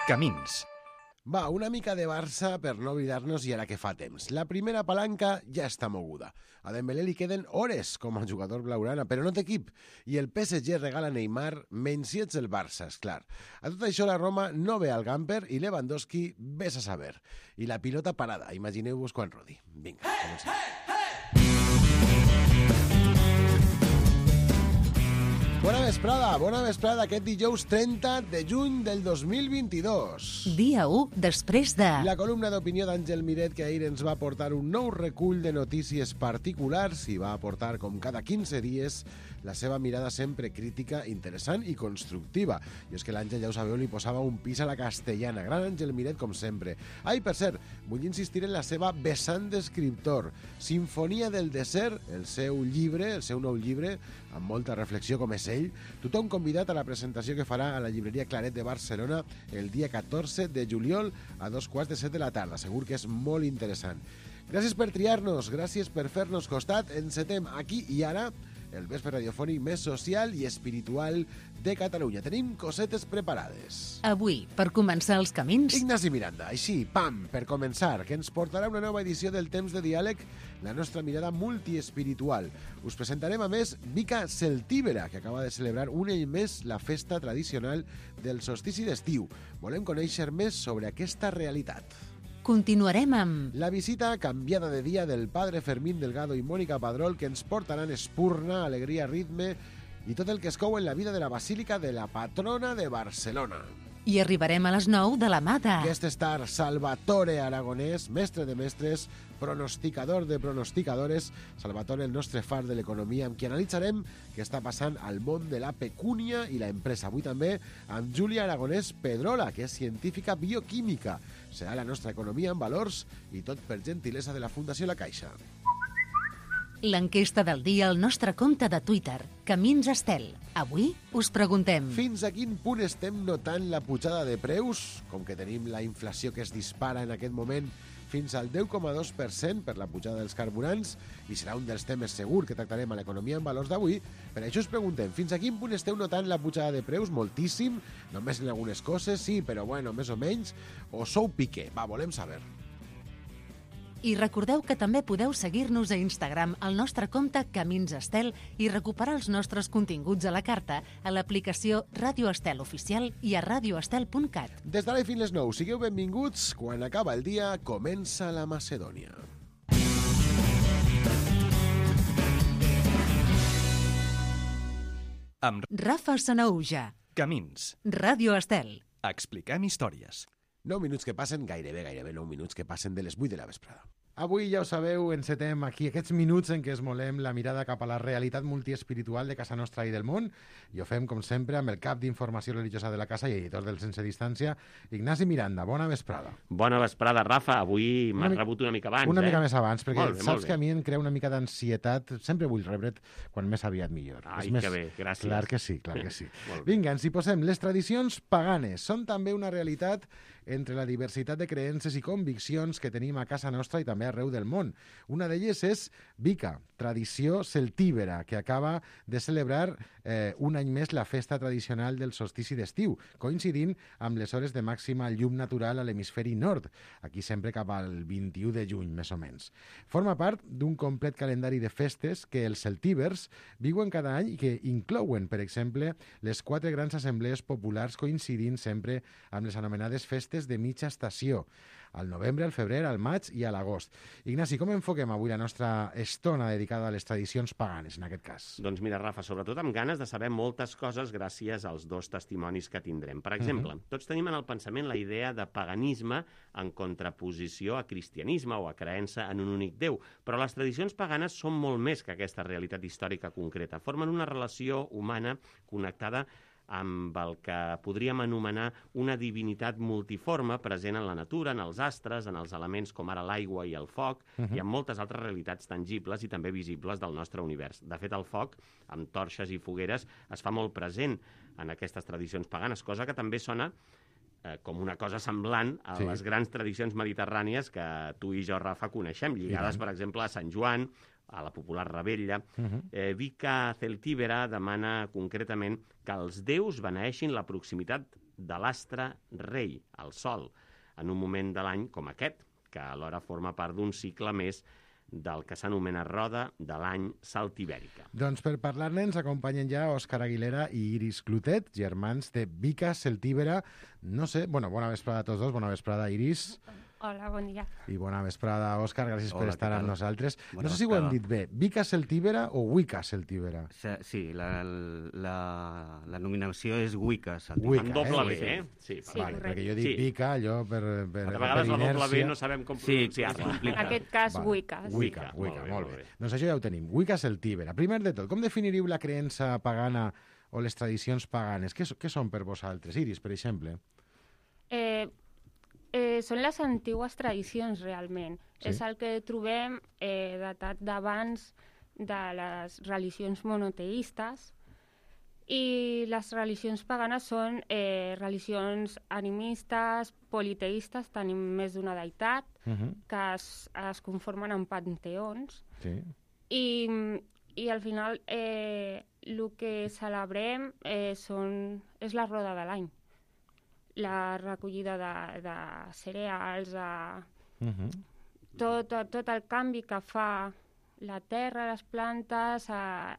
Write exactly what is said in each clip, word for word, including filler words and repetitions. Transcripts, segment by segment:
Camins. Va, una mica de Barça per no oblidar-nos i ara que fa temps. La primera palanca ja està moguda. A Dembélé li queden hores com a jugador blaugrana, però no té equip. I el P S G regala Neymar menys si ets el Barça, esclar. A tot això la Roma no ve al Gamper i Lewandowski ves a saber. I la pilota parada, imagineu-vos quan rodi. Vinga, comencem. Bona vesprada, bona vesprada aquest dijous trenta de juny del dos mil vint-i-dos. Dia u després de... La columna d'opinió d'Àngel Miret, que ahir ens va portar un nou recull de notícies particulars i va aportar, com cada quinze dies, la seva mirada sempre crítica, interessant i constructiva. I és que l'Àngel, ja ho sabeu, li posava un pis a la castellana. Gran Àngel Miret, com sempre. Ai, per cert, vull insistir en la seva vessant d'escriptor. Sinfonia del desert, el seu llibre, el seu nou llibre, amb molta reflexió com és ell. Tothom convidat a la presentació que farà a la llibreria Claret de Barcelona el dia catorze de juliol a dos quarts de set de la tarda. Segur que és molt interessant. Gràcies per triar-nos, gràcies per fer-nos costat. Encetem aquí i ara el vespre radiofònic més social i espiritual de Catalunya. Tenim cosetes preparades. Avui, per començar els camins... Ignasi Miranda, així, pam, per començar, que ens portarà una nova edició del Temps de Diàleg, la nostra mirada multiespiritual. Us presentarem, a més, Mica Celtíbera, que acaba de celebrar un any més la festa tradicional del solstici d'estiu. Volem conèixer més sobre aquesta realitat. Continuarem amb... La visita canviada de dia del padre Fermín Delgado i Mònica Padrol, que ens portaran espurna, alegria, ritme i tot el que es cou en la vida de la Basílica de la Patrona de Barcelona. I arribarem a les nou de la mà de... Guest star Salvatore Aragonès, mestre de mestres, pronosticador de pronosticadores. Salvatore, el nostre far de l'economia, amb qui analitzarem què està passant al món de la pecúnia i la empresa. Avui també amb Júlia Aragonès Pedrola, que és científica bioquímica. Serà la nostra economia en valors i tot per gentilesa de la Fundació La Caixa. L'enquesta del dia al nostre compte de Twitter, Camins Estel. Avui us preguntem... Fins a quin punt estem notant la pujada de preus? Com que tenim la inflació que es dispara en aquest moment fins al deu coma dos per cent per la pujada dels carburants, i serà un dels temes segur que tractarem a l'economia en valors d'avui. Per això us preguntem, fins a quin punt esteu notant la pujada de preus? Moltíssim? Només en algunes coses? Sí, però bueno, més o menys? O sou pique? Va, volem saber. I recordeu que també podeu seguir-nos a Instagram al nostre compte Camins Estel i recuperar els nostres continguts a la carta a l'aplicació Ràdio Estel Oficial i a radioestel punt cat. Des d'ara i fins les nou, sigueu benvinguts. Quan acaba el dia, comença la Macedònia. Amb Rafa Sanaúja, Camins. Ràdio Estel. Expliquem històries. nou minuts que passen, gairebé, gairebé nou minuts que passen de les vuit de la vesprada. Avui, ja ho sabeu, encetem aquí aquests minuts en què es molem la mirada cap a la realitat multiespiritual de casa nostra i del món, i ho fem, com sempre, amb el cap d'informació religiosa de la casa i editor del Sense Distància, Ignasi Miranda. Bona vesprada. Bona vesprada, Rafa. Avui m'has Una mi- rebut una mica abans, Una eh? mica més abans, perquè Molt bé, molt saps bé. que a mi em crea una mica d'ansietat. Sempre vull rebre't quan més aviat millor. Ai, És més... que bé, gràcies. Clar que sí, clar que sí. Molt bé. Vinga, ens hi posem. Les tradicions paganes són també una realitat entre la diversitat de creences i conviccions que tenim a casa nostra i també arreu del món. Una d'elles és Vica, tradició celtíbera, que acaba de celebrar eh, un any més la festa tradicional del solstici d'estiu, coincidint amb les hores de màxima llum natural a l'hemisferi nord, aquí sempre cap al vint-i-u de juny, més o menys. Forma part d'un complet calendari de festes que els celtívers viuen cada any i que inclouen, per exemple, les quatre grans assemblees populars coincidint sempre amb les anomenades festes de mitja estació, al novembre, al febrer, al maig i a l'agost. Ignasi, com enfoquem avui la nostra estona dedicada a les tradicions paganes, en aquest cas? Doncs mira, Rafa, sobretot amb ganes de saber moltes coses gràcies als dos testimonis que tindrem. Per exemple, uh -huh. tots tenim en el pensament la idea de paganisme en contraposició a cristianisme o a creença en un únic Déu, però les tradicions paganes són molt més que aquesta realitat històrica concreta. Formen una relació humana connectada amb el que podríem anomenar una divinitat multiforme present en la natura, en els astres, en els elements com ara l'aigua i el foc, uh -huh. i en moltes altres realitats tangibles i també visibles del nostre univers. De fet, el foc, amb torxes i fogueres, es fa molt present en aquestes tradicions paganes, cosa que també sona eh, com una cosa semblant a Sí. les grans tradicions mediterrànies que tu i jo, Rafa, coneixem, lligades, per exemple, a Sant Joan, a la popular Rebella. Uh -huh. eh, Vica Celtíbera demana concretament que els déus beneeixin la proximitat de l'astre rei, el Sol, en un moment de l'any com aquest, que alhora forma part d'un cicle més del que s'anomena roda de l'any saltibèrica. Doncs per parlar-ne ens acompanyen ja Òscar Aguilera i Iris Clotet, germans de Vica Celtíbera. No sé, bueno, bona vesprada a tots dos, bona vesprada Iris. Hola, bon dia. I bona vesprada, Òscar, gràcies Hola, per estar què amb tal? nosaltres. Bona no sé si ho hem vesprada. dit bé, Vica Celtíbera o Wicca Celtíbera? Se- Sí, la, la, la nominació és Wicca. Wicca, Amb doble eh? B, Sí. eh? Sí, Sí, Vale, correcte. perquè jo dic Sí. Vica, allò per, per, A per vegades la doble B inèrcia. no sabem com Sí, pronunciar-la. és complicat. En aquest cas, Vale. Wicca. Wicca, Wicca, Wicca, molt bé, molt molt bé. bé. Doncs això ja ho tenim. Wicca Celtíbera. Primer de tot, com definiríeu la creença pagana o les tradicions paganes? Què, so- què són per vosaltres? Iris, per exemple. Eh, eh, són les antigues tradicions, realment. Sí. És el que trobem eh, datat d'abans de les religions monoteistes, i les religions paganes són eh, religions animistes, politeistes, tenim més d'una deïtat, Uh -huh. que es, es conformen en panteons, Sí. i, i al final eh, el que celebrem eh, són, és la roda de l'any, la recollida de, de cereals, de, Uh -huh. tot, tot, tot el canvi que fa la terra, les plantes, a,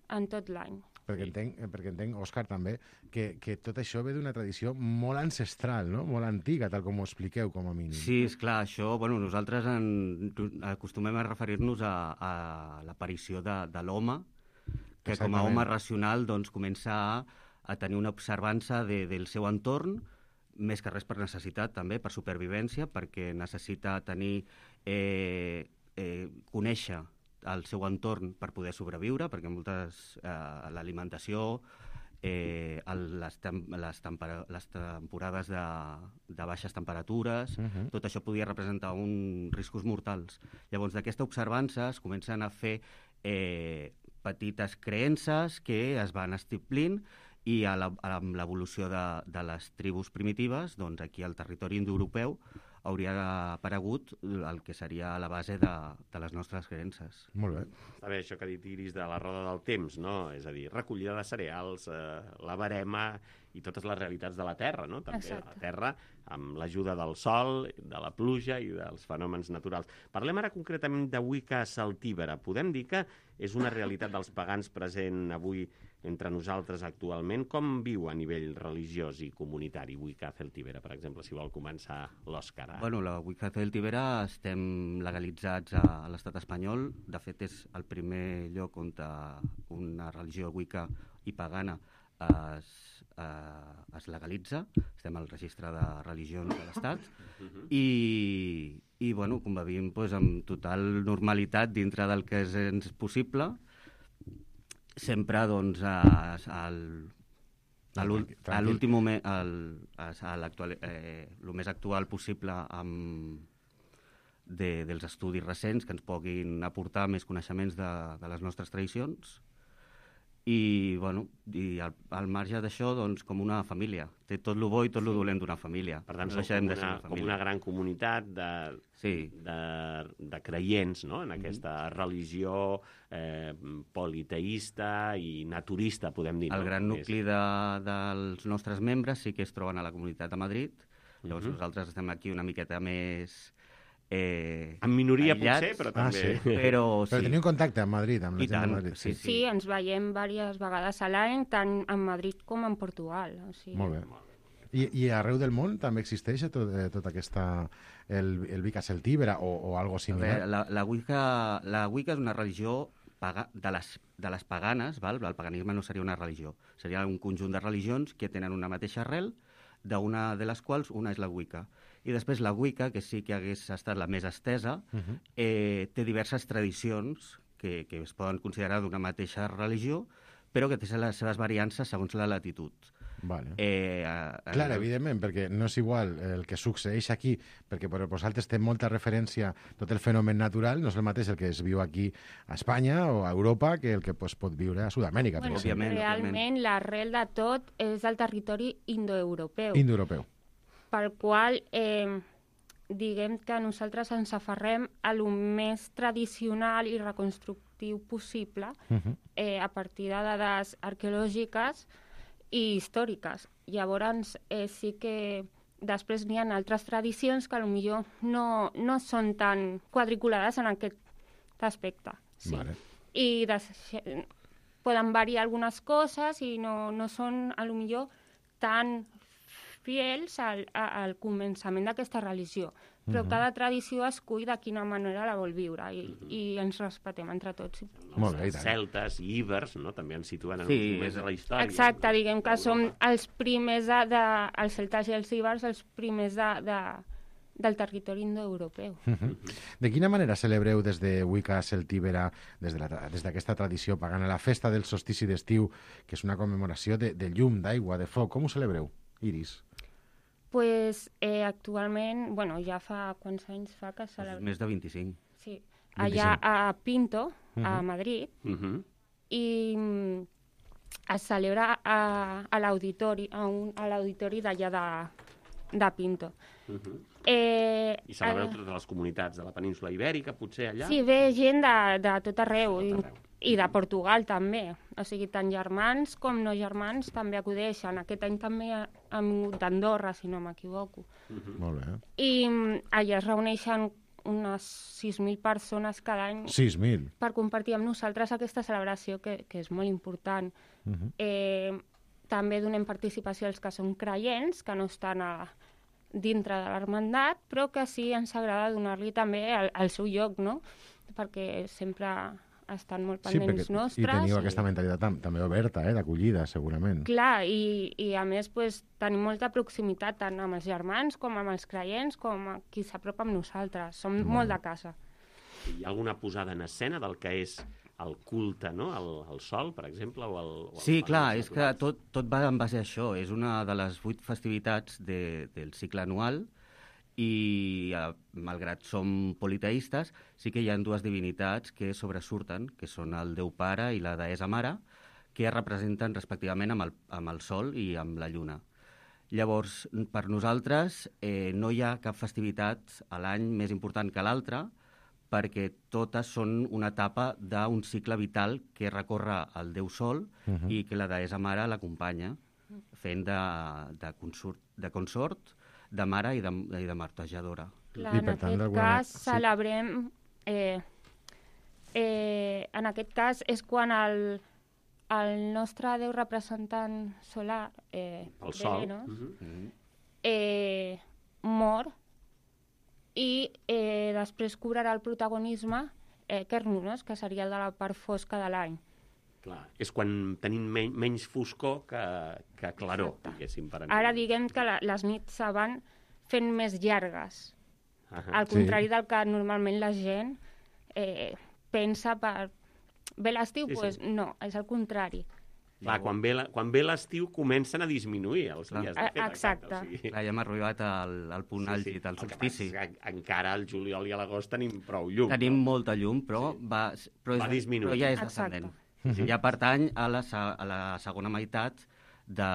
en tot l'any. Perquè entenc, eh, perquè entenc, Òscar, també, que, que tot això ve d'una tradició molt ancestral, no? Molt antiga, tal com ho expliqueu, com a mínim. Sí, és clar, això, bueno, nosaltres en, acostumem a referir-nos a, a l'aparició de, de l'home, que com a Exactament. home racional doncs, comença a, a tenir una observança de, del seu entorn, més que res per necessitat, també, per supervivència, perquè necessita tenir, eh, eh, conèixer el seu entorn per poder sobreviure, perquè moltes, eh, l'alimentació, eh, el, les, tem les, tempera les temporades de, de baixes temperatures, Uh -huh. tot això podia representar uns riscos mortals. Llavors, d'aquesta observança es comencen a fer eh, petites creences que es van estiplint, i a la, amb l'evolució de, de les tribus primitives, doncs aquí al territori indoeuropeu hauria aparegut el que seria la base de, de les nostres creences. Molt bé. Està bé això que ha dit Iris de la roda del temps, no? És a dir, recollida de cereals, eh, la barema i totes les realitats de la Terra, no? També Exacte. la Terra, amb l'ajuda del sol, de la pluja i dels fenòmens naturals. Parlem ara concretament de Wicca Celtíbera. Podem dir que és una realitat dels pagans present avui entre nosaltres actualment. Com viu a nivell religiós i comunitari Wicca Celtíbera, per exemple, si vol començar l'Òscar? Bueno, la Wicca Celtíbera estem legalitzats a, a l'estat espanyol. De fet, és el primer lloc on una religió Wicca i pagana es, eh, es legalitza. Estem al registre de religions de l'Estat. I, i bueno, convivim pues, amb total normalitat dintre del que és, és possible. Sempre, doncs, a, al, a l'úl- Tranquil. a l'últim moment, al, a, a l'actual, eh, el més actual possible amb, de, dels estudis recents que ens puguin aportar més coneixements de, de les nostres tradicions. I, bueno, i al, al marge d'això, doncs, com una família. Té tot lo bo i tot lo dolent d'una família. Per tant, no som deixem com de ser una, una com família. una gran comunitat de, Sí. de, de creients, no?, en aquesta religió eh, politeista i naturista, podem dir. El no? gran És- nucli de, dels nostres membres sí que es troben a la comunitat de Madrid. Llavors Mhm. nosaltres estem aquí una miqueta més... Eh, En minoria, aïllats, potser, però Ah, també... sí. Però sí. Però teniu contacte amb Madrid, amb la I gent tant, de Madrid? sí, Sí, ens veiem diverses vegades a l'any, tant en Madrid com en Portugal. O sigui, Molt bé. I, I arreu del món també existeix tot, eh, tota aquesta... el, el Wicca Celtíbera o, o algo A similar? veure, la, la, Wicca, la Wicca és una religió paga, de, les, de les paganes, val? El paganisme no seria una religió, seria un conjunt de religions que tenen una mateixa arrel, d'una de les quals una és la Wicca. I després la Wicca, que sí que hagués estat la més estesa, Uh -huh. eh, té diverses tradicions que, que es poden considerar d'una mateixa religió, però que té les seves variances segons la latitud. Vale. Eh, a, a, Clar, evidentment, perquè no és igual el que succeeix aquí, perquè per vosaltres té molta referència tot el fenomen natural, no és el mateix el que es viu aquí a Espanya o a Europa que el que pues, pot viure a Sud-amèrica, per Bueno, exemple. Òbviament, realment l'arrel de tot és el territori indoeuropeu, Indoeuropeu. pel qual eh, diguem que nosaltres ens aferrem a lo més tradicional i reconstructiu possible Uh -huh. eh, a partir de dades arqueològiques i històriques. Llavors, eh, sí que després n'hi ha altres tradicions que potser no, no són tan quadriculades en aquest aspecte. Sí. Vale. I des... poden variar algunes coses i no, no són, a lo millor, tan fiels al, al començament d'aquesta religió. Però uh-huh. cada tradició escull de quina manera la vol viure i, uh-huh. i ens respetem entre tots. Molt bé, i Els tant. celtes i íbers, no?, també ens situen en Sí, uns moments de la història. Exacte, diguem que som els primers, de, de, els celtes i els íbers, els primers de, de, del territori indoeuropeu. Uh-huh. De quina manera celebreu des de Wicca Celtíbera, des de la, des d'aquesta tradició pagana, la festa del solstici d'estiu, que és una commemoració de, de llum, d'aigua, de foc? Com ho celebreu, Iris? Pues, eh, actualment, bueno, ja fa quants anys fa que celebra... Més de vint-i-cinc. Sí, allà a Pinto, uh-huh. a Madrid, Uh-huh. i mm, es celebra a, a l'auditori, a, un, a l'auditori d'allà de, de Pinto. Uh-huh. Eh, I celebreu eh, totes les comunitats de la península ibèrica, potser allà? Sí, ve gent de, de tot arreu, De i, tot arreu. i de Portugal també. O sigui, tant germans com no germans també acudeixen. Aquest any també han vingut d'Andorra, si no m'equivoco. Uh-huh. Molt bé. I mm, allà es reuneixen unes sis mil persones cada any sis mil. per compartir amb nosaltres aquesta celebració que, que és molt important. Uh-huh. Eh, també donem participació als que són creients, que no estan a, dintre de l'hermandat, però que sí ens agrada donar-li també el, el seu lloc, no? Perquè sempre estan molt Sí, pendents perquè, nostres. i teniu i- aquesta mentalitat tam també oberta, eh, d'acollida, segurament. Clar, i, i a més pues, tenim molta proximitat tant amb els germans com amb els creients, com a qui s'apropa amb nosaltres. Som Molt molt bé. de casa. Hi ha alguna posada en escena del que és el culte, no?, al, al sol, per exemple, o al... O Sí, als clar, fenòmens és que naturals? tot, tot va en base a això. És una de les vuit festivitats de, del cicle anual i, eh, malgrat som politeistes, sí que hi ha dues divinitats que sobresurten, que són el Déu Pare i la Deessa Mare, que es representen respectivament amb el, amb el Sol i amb la Lluna. Llavors, per nosaltres, eh, no hi ha cap festivitat a l'any més important que l'altra, perquè totes són una etapa d'un cicle vital que recorre el Déu Sol Uh-huh. i que la Deessa Mare l'acompanya, fent de, de, consort, de consort, de mare i de, i de martejadora. Clar, I, en per tant, aquest d'alguna cas manera- sí. celebrem... Eh, eh, en aquest cas és quan el, el nostre déu representant solar, eh, El sol. Venus, Uh-huh. Mm. eh, mor i eh, després cobrarà el protagonisme eh, Kernunos, que seria el de la part fosca de l'any. Clar, és quan tenim men menys foscor que, que claror, Exacte. diguéssim. Per Ara diguem que la, les nits se van fent més llargues, Ahà. al Sí. contrari del que normalment la gent eh, pensa per... Ve l'estiu? Sí, sí. Pues no, és el contrari. Va, quan ve la- quan ve l'estiu comencen a disminuir els Clar. dies de fet. Exacte. O sigui, Clar, ja hem arribat al, al punt àlgid, al El que solstici. passa és que encara al juliol i a l'agost tenim prou llum. Tenim no? molta llum, però, va, però, és, Va disminuint. però ja és Exacte. descendent. Ja pertany a la, se- a la segona meitat de,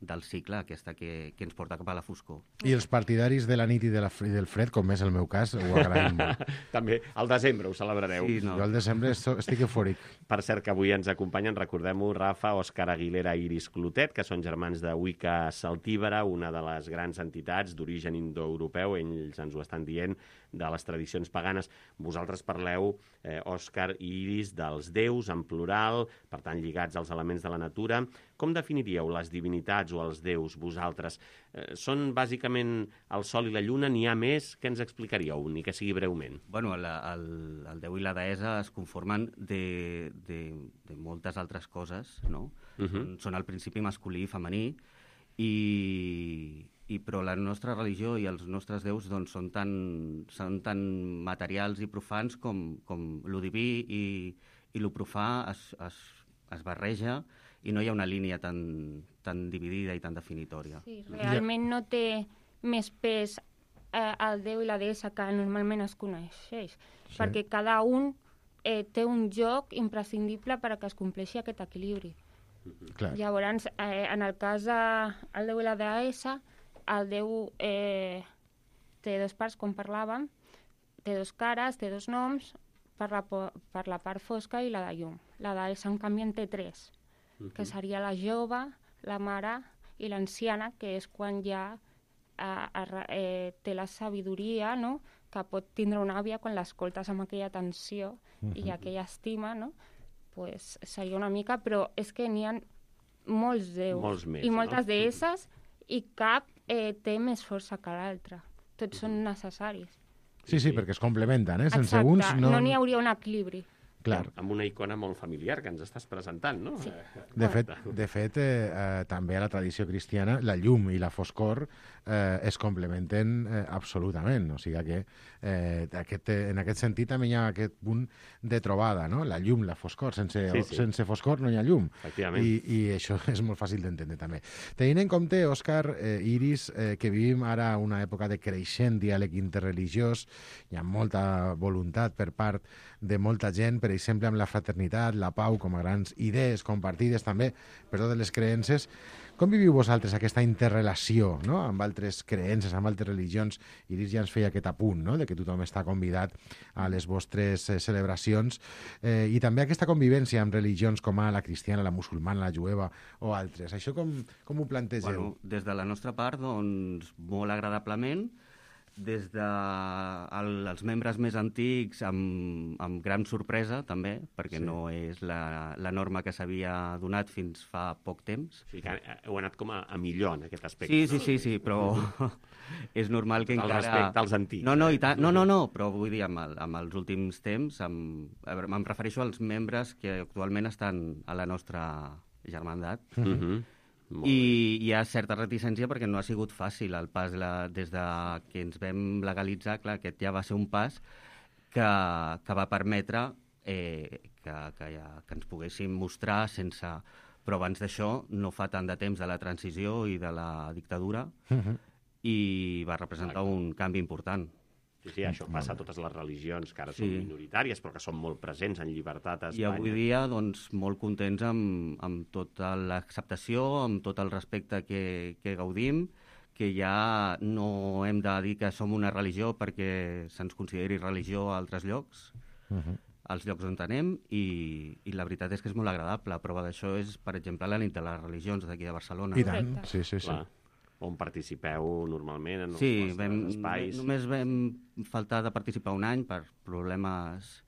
del cicle, aquesta que, que ens porta cap a la foscor. I els partidaris de la nit i, de la, fre- i del fred, com és el meu cas, ho agraïm molt. També al desembre ho celebrareu. Sí, no. Jo al desembre esto- estic eufòric. Per cert, que avui ens acompanyen, recordem-ho, Rafa, Òscar Aguilera i Iris Clotet, que són germans de Wicca Celtíbera, una de les grans entitats d'origen indoeuropeu, ells ens ho estan dient, de les tradicions paganes. Vosaltres parleu, eh, Òscar i Iris, dels déus en plural, per tant lligats als elements de la natura. Com definiríeu les divinitats o els déus, vosaltres? Eh, són bàsicament el sol i la lluna, n'hi ha més? Què ens explicaríeu, ni que sigui breument? Bueno, la, el, el déu i la deessa es conformen de, de, de moltes altres coses, no? Uh -huh. són, són el principi masculí i femení, i, i però la nostra religió i els nostres déus doncs, són, tan, són tan materials i profans com, com lo diví i, i lo profà es, es, es barreja i no hi ha una línia tan, tan dividida i tan definitòria. Sí, realment no té més pes eh, el déu i la deessa que normalment es coneixeix, Sí. perquè cada un eh, té un joc imprescindible per a que es compleixi aquest equilibri. Clar. Llavors, eh, en el cas del déu i la deessa, el déu eh, té dos parts, com parlàvem, té dos cares, té dos noms, per la, po- per la part fosca i la de llum. La deessa, en canvi, en té tres, que seria la jove, la mare i l'anciana, que és quan ja eh, eh, té la sabidoria, no?, que pot tindre una àvia quan l'escoltes amb aquella atenció uh-huh. i aquella estima, no? Pues seria una mica, però és que n'hi ha molts déus molts més, i moltes no? deesses i cap eh, té més força que l'altre. Tots són necessaris. Sí, sí, perquè es complementen, eh? Sense Exacte, uns no... no n'hi hauria un equilibri. Clar. Amb una icona molt familiar que ens estàs presentant, no? Sí. De fet, de fet eh, eh, també a la tradició cristiana la llum i la foscor eh, es complementen eh, absolutament. O sigui que eh, aquest, en aquest sentit també hi ha aquest punt de trobada, no? La llum, la foscor. Sense, Sí, sí. sense foscor no hi ha llum. Efectivament. I, I això és molt fàcil d'entendre també. Tenint en compte, Òscar, eh, Iris, eh, que vivim ara una època de creixent diàleg interreligiós, hi ha molta voluntat per part de molta gent, per exemple, amb la fraternitat, la pau, com a grans idees compartides també per totes les creences. Com viviu vosaltres aquesta interrelació, no?, amb altres creences, amb altres religions? Iris ja ens feia aquest apunt, no?, de que tothom està convidat a les vostres eh, celebracions, eh, i també aquesta convivència amb religions com a la cristiana, la musulmana, la jueva o altres. Això com, com ho plantegeu? Bueno, des de la nostra part, doncs, molt agradablement. Des de el, els membres més antics, amb, amb gran sorpresa, també, perquè sí. no és la, la norma que s'havia donat fins fa poc temps. O sigui que heu anat com a, a millor en aquest aspecte. Sí, sí, sí, sí, però és normal que el encara... El respecte als antics. No, no, i ta... no, no, no, però vull dir, amb, el, amb els últims temps, amb... em refereixo als membres que actualment estan a la nostra germandat. Mm-hmm. I hi ha certa reticència perquè no ha sigut fàcil el pas la, des de que ens vam legalitzar. Clar, aquest ja va ser un pas que, que va permetre eh, que, que, ja, que ens poguéssim mostrar sense... Però abans d'això no fa tant de temps de la transició i de la dictadura uh-huh. i va representar un canvi important. Sí, sí, això passa a totes les religions que ara Sí. són minoritàries però que són molt presents en llibertat a I Espanya. avui dia, doncs, molt contents amb, amb tota l'acceptació, amb tot el respecte que, que gaudim, que ja no hem de dir que som una religió perquè se'ns consideri religió a altres llocs, uh-huh. als llocs on anem, i, i la veritat és que és molt agradable. La prova d'això és, per exemple, la nit de les religions d'aquí de Barcelona. I tant, sí, sí, sí. Clar. On participeu normalment en els Sí, vostres vam, espais. només vam faltar de participar un any per problemes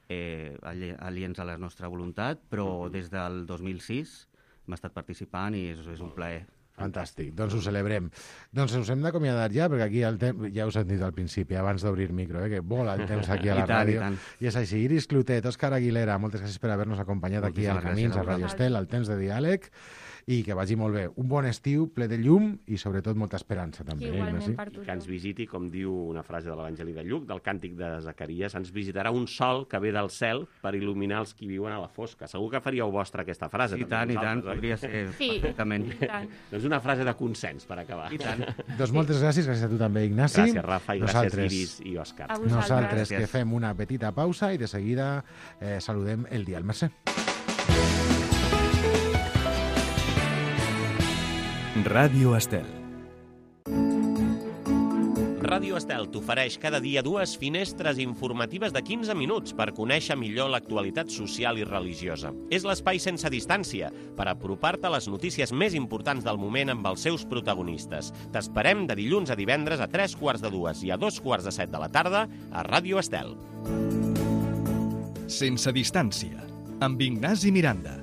eh, aliens a la nostra voluntat, però mm-hmm. des del dos mil sis hem estat participant i és, és un plaer. Fantàstic, doncs ho celebrem. Doncs us hem d'acomiadar ja, perquè aquí el temps, ja us hem dit al principi, abans d'obrir micro, eh, que vola el temps aquí a la I tant, ràdio. i tant. I és així. Iris Clotet, Òscar Aguilera, moltes gràcies per haver-nos acompanyat aquí a Moltíssimes Camins, gràcies a a Radio vosaltres. Estel, al temps de diàleg, i que vagi molt bé. Un bon estiu, ple de llum i sobretot molta esperança també. eh, Igualment Ignasi? per I que ens tothom. visiti, com diu una frase de l'Evangeli de Lluc, del càntic de Zacaries, ens visitarà un sol que ve del cel per il·luminar els qui viuen a la fosca. Segur que faríeu vostra aquesta frase. I també, tant, i tant, vosaltres, oi? podria ser Sí, perfectament. i tant. Doncs una frase de consens per acabar. I tant. Doncs moltes gràcies, gràcies a tu també, Ignasi. Gràcies, Rafa, i gràcies, Nosaltres- Iris i Òscar. A vosaltres. Nosaltres Gràcies. que fem una petita pausa i de seguida eh, saludem el Dial Mercè. Ràdio Estel. Ràdio Estel t'ofereix cada dia dues finestres informatives de quinze minuts per conèixer millor l'actualitat social i religiosa. És l'espai sense distància per apropar-te a les notícies més importants del moment amb els seus protagonistes. T'esperem de dilluns a divendres a tres quarts de dues i a dos quarts de set de la tarda a Ràdio Estel. Sense distància, amb Ignasi Miranda.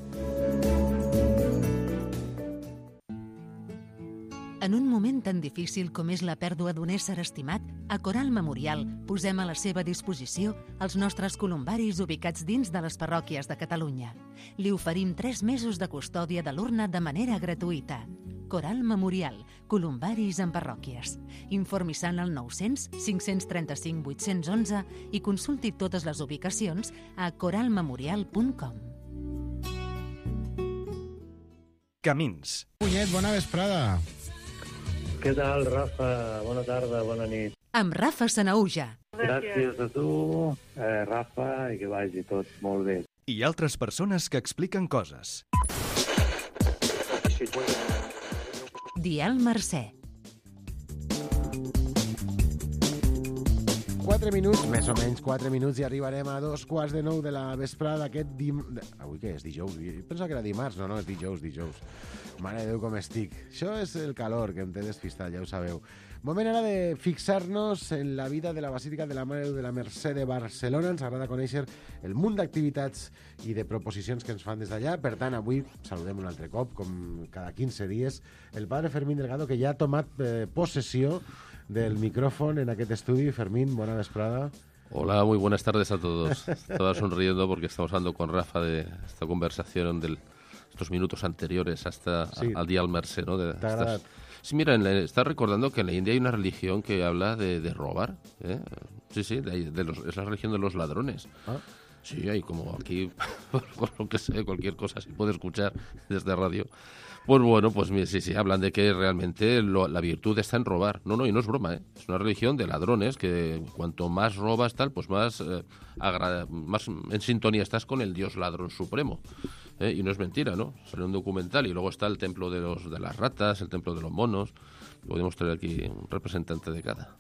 En un moment tan difícil com és la pèrdua d'un ésser estimat, a Coral Memorial posem a la seva disposició els nostres columbaris ubicats dins de les parròquies de Catalunya. Li oferim tres mesos de custòdia de l'urna de manera gratuïta. Coral Memorial, columbaris en parròquies. Informi-se al nou-cents cinc-cents trenta-cinc vuit-cents onze i consulti totes les ubicacions a coral memorial punt com. Camins. Punyet, bona vesprada. Què tal, Rafa? Bona tarda, bona nit. Amb Rafa Sanaúja. Gràcies a tu, eh, Rafa, i que vagi tot molt bé. I altres persones que expliquen coses. Dial Mercè. quatre minuts, més o menys quatre minuts, i arribarem a dos quarts de nou de la vesprada d'aquest dim... Avui què és? Dijous? Jo pensava que era dimarts. No, no, és dijous, dijous. Mare de Déu, com estic. Això és el calor que em té despistat, ja ho sabeu. Moment ara de fixar-nos en la vida de la Basílica de la Mare de Déu de la Mercè de Barcelona. Ens agrada conèixer el munt d'activitats i de proposicions que ens fan des d'allà. Per tant, avui saludem un altre cop, com cada quinze dies, el padre Fermín Delgado, que ja ha tomat eh, possessió del micrófono en aquest estudi. Fermín, buena vesprada. Hola, muy buenas tardes a todos. Estaba sonriendo porque estamos hablando con Rafa de esta conversación de estos minutos anteriores hasta sí. al día al Mercè, ¿no? De estas... Sí, mira, en la, está recordando que en la India hay una religión que habla de, de robar, ¿eh? Sí, sí, de, de los, es la religión de los ladrones. ¿Ah? Sí, hay como aquí, por lo que sé, cualquier cosa se puede escuchar desde radio. Pues bueno, pues sí, sí, hablan de que realmente lo, la virtud está en robar. No, no, y no es broma, ¿eh? Es una religión de ladrones que cuanto más robas tal, pues más, eh, agrada, más en sintonía estás con el dios ladrón supremo. ¿Eh? Y no es mentira, ¿no? Sale un documental y luego está el templo de, los, de las ratas, el templo de los monos. Podemos traer aquí un representante de cada.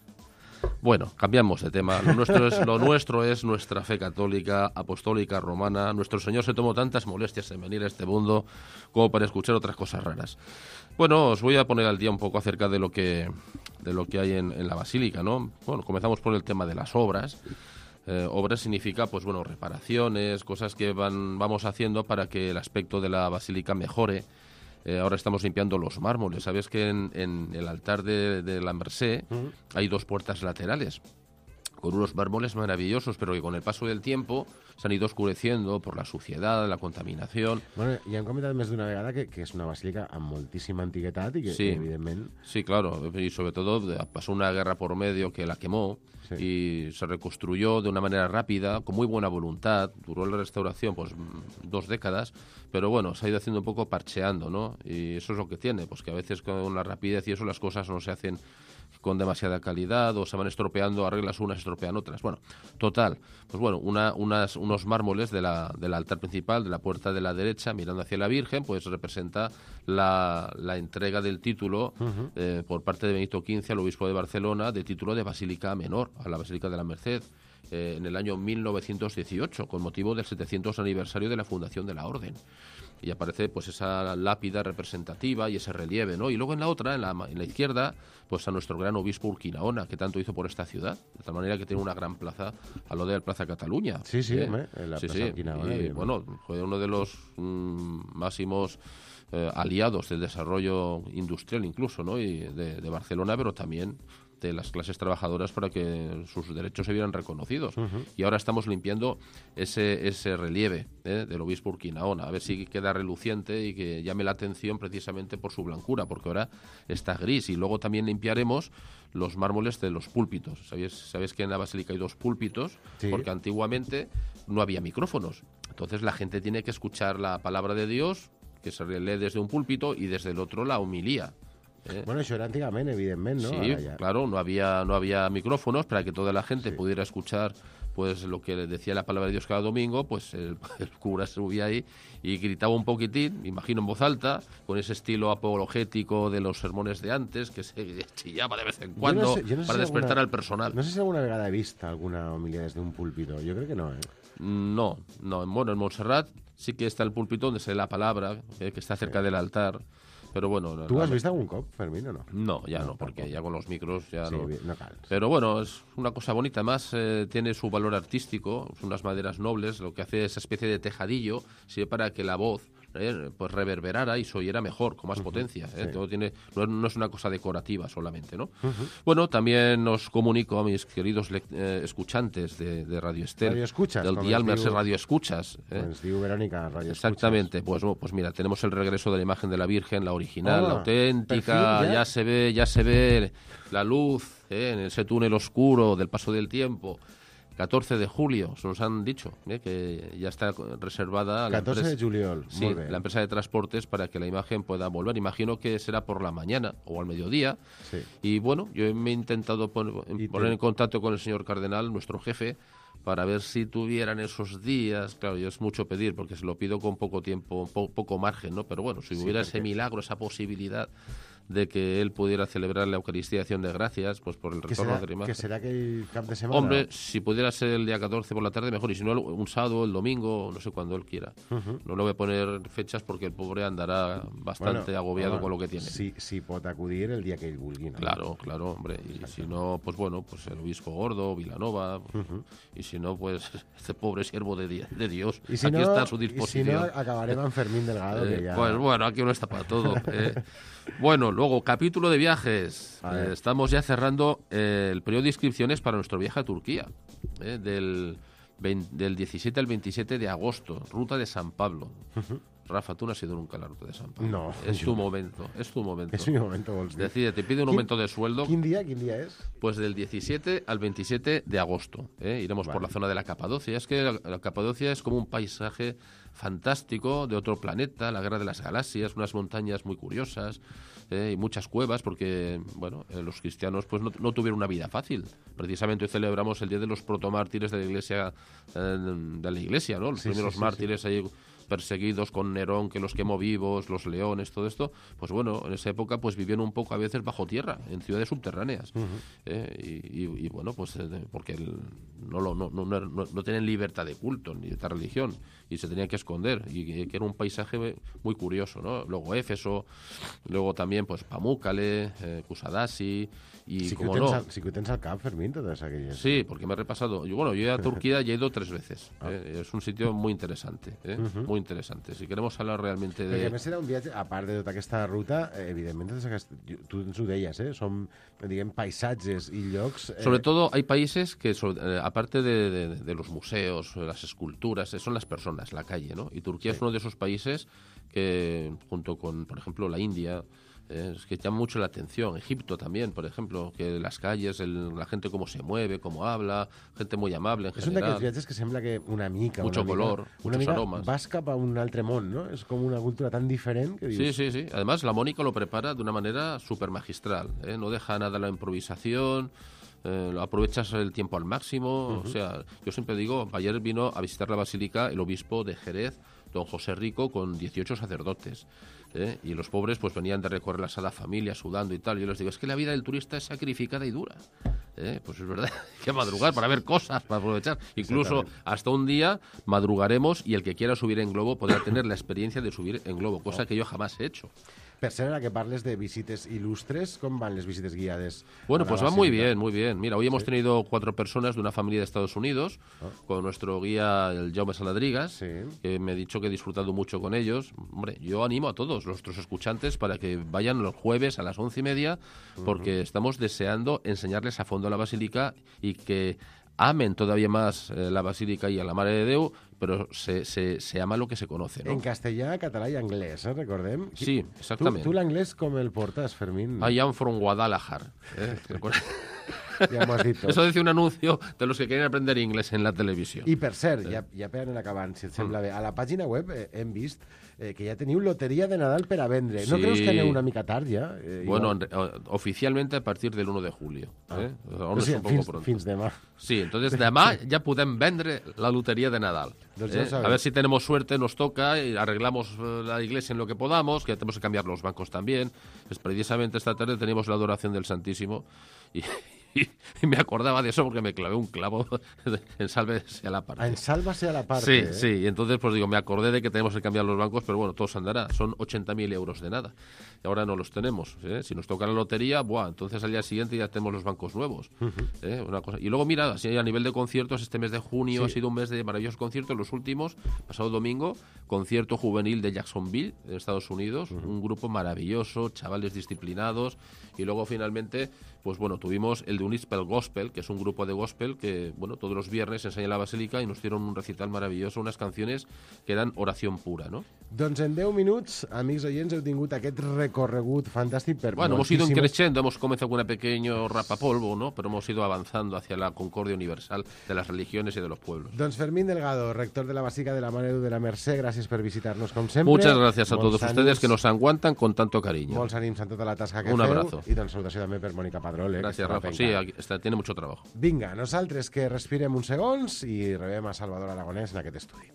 Bueno, cambiamos de tema. Lo nuestro es, lo nuestro es nuestra fe católica, apostólica, romana. Nuestro Señor se tomó tantas molestias en venir a este mundo como para escuchar otras cosas raras. Bueno, os voy a poner al día un poco acerca de lo que, de lo que hay en, en la Basílica, ¿no? Bueno, comenzamos por el tema de las obras. Eh, obras significa, pues bueno, reparaciones, cosas que van, vamos haciendo para que el aspecto de la Basílica mejore. Eh, ahora estamos limpiando los mármoles. Sabes que en, en el altar de, de la Mercè uh-huh. hay dos puertas laterales con unos mármoles maravillosos, pero que con el paso del tiempo se han ido oscureciendo por la suciedad, la contaminación. Bueno, i hem comentat més d'una vegada que, que és una basílica amb moltíssima antiguitat i que, sí. evidentment... Sí, claro, y sobre todo pasó una guerra por medio que la quemó, sí. y se reconstruyó de una manera rápida, con muy buena voluntad. Duró la restauración pues dos décadas, pero bueno, se ha ido haciendo un poco parcheando, ¿no? Y eso es lo que tiene, pues que a veces con la rapidez y eso las cosas no se hacen con demasiada calidad o se van estropeando, arreglas unas, estropean otras. Bueno, total, pues bueno, una, unas, unos mármoles de la, del altar principal, de la puerta de la derecha, mirando hacia la Virgen, pues representa la, la entrega del título uh-huh. eh, por parte de Benito quince al obispo de Barcelona, de título de Basílica Menor, a la Basílica de la Merced, eh, en el año mil novecientos dieciocho, con motivo del setecientos aniversario de la fundación de la Orden. Y aparece pues esa lápida representativa y ese relieve, ¿no? Y luego en la otra, en la, en la izquierda, pues a nuestro gran obispo Urquinaona, que tanto hizo por esta ciudad, de tal manera que tiene una gran plaza a lo de la Plaza Cataluña. Sí, sí, ¿eh? hombre, en la sí, Plaza sí. Urquinaona. Y, bueno, fue uno de los mmm, máximos eh, aliados del desarrollo industrial incluso, ¿no? Y de, de Barcelona, pero también de las clases trabajadoras para que sus derechos se vieran reconocidos. Uh-huh. Y ahora estamos limpiando ese, ese relieve ¿eh? del obispo Urquinaona, a ver si queda reluciente y que llame la atención precisamente por su blancura, porque ahora está gris. Y luego también limpiaremos los mármoles de los púlpitos. ¿Sabéis, sabéis que en la Basílica hay dos púlpitos? Sí. Porque antiguamente no había micrófonos. Entonces la gente tiene que escuchar la palabra de Dios, que se lee desde un púlpito, y desde el otro la homilía. ¿Eh? Bueno, eso era antiguamente, evidentemente, ¿no? Sí, claro, no había, no había micrófonos para que toda la gente sí. pudiera escuchar pues lo que decía la palabra de Dios cada domingo. Pues el, el cura se subía ahí y gritaba un poquitín, imagino en voz alta, con ese estilo apologético de los sermones de antes, que se chillaba de vez en cuando no sé, no para si despertar alguna, al personal. No sé si alguna vegada he visto alguna homilía desde un púlpito, yo creo que no, ¿eh? No, no, bueno, en Montserrat sí que está el púlpito donde se lee la palabra, eh, que está cerca sí. del altar. Pero bueno, ¿Tú has visto algún cop, Fermín, o no? No, ya no, no porque tampoco. Ya con los micros ya sí, no. Bien, no calles. Pero bueno, es una cosa bonita. Además, eh, tiene su valor artístico, son unas maderas nobles. Lo que hace esa especie de tejadillo sirve para que la voz eh, pues reverberara y se oyera mejor, con más uh-huh, potencia. ¿eh? Sí. Todo tiene, no, no es una cosa decorativa solamente, ¿no? Uh-huh. Bueno, también os comunico a mis queridos eh, escuchantes de, de Radio Estel, Radio Escuchas, del Dial Mercè Radio Escuchas. ¿eh? Pues digo Verónica, Radio Exactamente. Escuchas. Pues, pues mira, tenemos el regreso de la imagen de la Virgen, la original, oh, la auténtica. Ya? ya se ve, ya se ve la luz ¿eh? en ese túnel oscuro del paso del tiempo. catorce de julio, se nos han dicho ¿eh? que ya está reservada la catorce empresa, de juliol, sí, la empresa de transportes para que la imagen pueda volver. Imagino que será por la mañana o al mediodía. Sí. Y bueno, yo me he intentado poner, poner en contacto con el señor cardenal, nuestro jefe, para ver si tuvieran esos días. Claro, yo es mucho pedir porque se lo pido con poco tiempo, po- poco margen, ¿no? Pero bueno, si sí, hubiera ese milagro, esa posibilidad de que él pudiera celebrar la Eucaristía de Acción de Gracias, pues por el retorno de la imagen. ¿Que será aquel cap de semana? Hombre, si pudiera ser el día catorce por la tarde, mejor. Y si no, un sábado, el domingo, no sé cuándo él quiera. Uh-huh. No le voy a poner fechas porque el pobre andará bastante bueno, agobiado bueno, con lo que tiene. Si, si pot acudir el día que él vulgui, ¿no? Claro, claro, hombre. Y Exacto. si no, pues bueno, pues el obispo Gordo, Vilanova. Uh-huh. Y si no, pues este pobre siervo de, de Dios. Y si aquí no, está a su disposición. Y si no, acabaremos en Fermín Delgado. Eh, que ya... Pues bueno, aquí uno está para todo. eh. Bueno, luego, capítulo de viajes. Eh, estamos ya cerrando eh, el periodo de inscripciones para nuestro viaje a Turquía, eh, del, veinte, del diecisiete al veintisiete de agosto, ruta de San Pablo. Uh-huh. Rafa, tú no has ido nunca a la ruta de San Pablo. No. Es tu momento, es tu momento. Es mi momento, vols dir. Decide, te pide un aumento de sueldo. ¿Quién día? ¿Quién día es? Pues del diecisiete al veintisiete de agosto. ¿eh? Iremos vale. por la zona de la Capadocia. Es que la, la Capadocia es como un paisaje fantástico de otro planeta, la Guerra de las Galaxias, unas montañas muy curiosas eh, y muchas cuevas porque, bueno, eh, los cristianos pues no, no tuvieron una vida fácil. Precisamente hoy celebramos el Día de los protomártires de la Iglesia, eh, de la Iglesia, ¿no? Los sí, primeros sí, sí, mártires sí. ahí perseguidos con Nerón, que los quemó vivos, los leones, todo esto, pues bueno, en esa época pues vivían un poco a veces bajo tierra, en ciudades subterráneas. Uh-huh. eh, y, y, y bueno, pues eh, porque el, no, lo, no, no, no, no tienen libertad de culto ni de religión y se tenían que esconder y, y que era un paisaje muy curioso, ¿no? Luego Éfeso, luego también pues Pamukkale, eh, Kusadasi y sí como que no. Al, sí que tens al cap, Fermín, todas aquellas. Sí, porque me he repasado. Yo, bueno, yo a Turquía ya he ido tres veces. Ah. Eh, es un sitio muy interesante, eh, uh-huh. muy interesante. Si queremos hablar realmente de... Perquè a més serà un viatge, a part de tota aquesta ruta, eh, evidentment, tu ens ho deies, eh, són, diguem, paisatges i llocs... Eh... Sobre todo hay países que, eh, aparte de, de, de los museos, las esculturas, son las personas, la calle, ¿no? Y Turquía sí. es uno de esos países que, junto con, por ejemplo, la India... Eh, es que llama mucho la atención. Egipto también, por ejemplo, que las calles, el, la gente cómo se mueve, cómo habla, gente muy amable en és general. És un d'aquests viatges que sembla que una mica... Mucho una color, mica, muchos una mica aromas. Vas cap a un altre món, ¿no? Es como una cultura tan diferente que dius... Sí, sí, sí. Además, la Mónica lo prepara de una manera súper magistral. ¿eh? No deja nada a la improvisación... Eh, aprovechas el tiempo al máximo. Uh-huh. O sea, yo siempre digo, ayer vino a visitar la basílica el obispo de Jerez, don José Rico, con dieciocho sacerdotes. ¿eh? Y los pobres pues venían de recorrer la Sagrada Familia sudando y tal. Yo les digo, es que la vida del turista es sacrificada y dura. ¿eh? Pues es verdad, hay que madrugar para ver cosas, para aprovechar. Incluso hasta un día madrugaremos y el que quiera subir en globo podrá tener la experiencia de subir en globo, cosa que yo jamás he hecho. Per ser, ara que parles de visites ilustres, ¿cómo van las visitas guiadas? Bueno, pues va muy bien, muy bien. Mira, hoy hemos ¿Sí? tenido cuatro personas de una familia de Estados Unidos, oh. con nuestro guía, el Jaume Saladrigas, sí. que me ha dicho que he disfrutado mucho con ellos. Hombre, yo animo a todos nuestros escuchantes para que vayan los jueves a las once y media, porque uh-huh. estamos deseando enseñarles a fondo la basílica y que amen todavía más eh, la basílica y a la Mare de Déu, però se, se, se ama lo que se conoce, ¿no? En castellà, català i anglès, eh? Recordem. Sí, exactament. Tu, tu l'anglès com el portes, Fermín? I am from Guadalajara. Eh? Ja m'ho has dit tot. Eso dice un anuncio de los que quieren aprender inglés en la televisión. I per cert, sí. ja, ja per anar acabant, si et sembla mm. bé, a la pàgina web eh, hem vist eh, que ja teniu loteria de Nadal per a vendre. ¿No sí. creus que aneu una mica tard ja? Eh, bueno, en, oficialmente a partir del uno de julio. ¿eh? Ah. O sigui, fins, fins demà. Sí, entonces demà ja podem vendre la lotería de Nadal. ¿eh? A ver si tenemos suerte, nos toca y arreglamos la iglesia en lo que podamos, que tenemos que cambiar los bancos también. Pues precisamente esta tarde tenemos la adoración del Santísimo y... Y me acordaba de eso porque me clavé un clavo en Sálvese a la parte. Ah, en Sálvase a la parte. Sí, ¿eh? sí. Y entonces, pues digo, me acordé de que tenemos que cambiar los bancos, pero bueno, todo se andará. Son ochenta mil euros de nada. Y ahora no los tenemos. ¿eh? Si nos toca la lotería, buah, entonces al día siguiente ya tenemos los bancos nuevos. Uh-huh. ¿eh? Una cosa. Y luego, mira, así a nivel de conciertos, este mes de junio sí. ha sido un mes de maravillosos conciertos. Los últimos, pasado domingo, concierto juvenil de Jacksonville, en Estados Unidos. Uh-huh. Un grupo maravilloso, chavales disciplinados. Y luego, finalmente, pues bueno, tuvimos el de Unispel Gospel, que es un grupo de gospel que, bueno, todos los viernes enseña en la basílica y nos dieron un recital maravilloso, unas canciones que eran oración pura, ¿no? Doncs en deu minuts, amics oients, heu tingut aquest recorregut fantàstic per Bueno, hemos ido creciendo, hemos comenzado con un pequeño rapapolvo, ¿no? Pero hemos ido avanzando hacia la concordia universal de las religiones y de los pueblos. Doncs Fermín Delgado, rector de la Basílica de la Mare de Déu de la Mercè, gràcies per visitar-nos com sempre. Muchas gracias a todos ustedes que nos aguantan con tanto cariño. Molts ànims en tota la tasca que un feu. abrazo. I doncs salutació també per Mònica Padrol. Eh, Gracias, Rafa. Sí, aquí está, tiene mucho trabajo. Vinga, nosaltres que respirem uns segons i rebem a Salvador Aragonès en aquest estudi.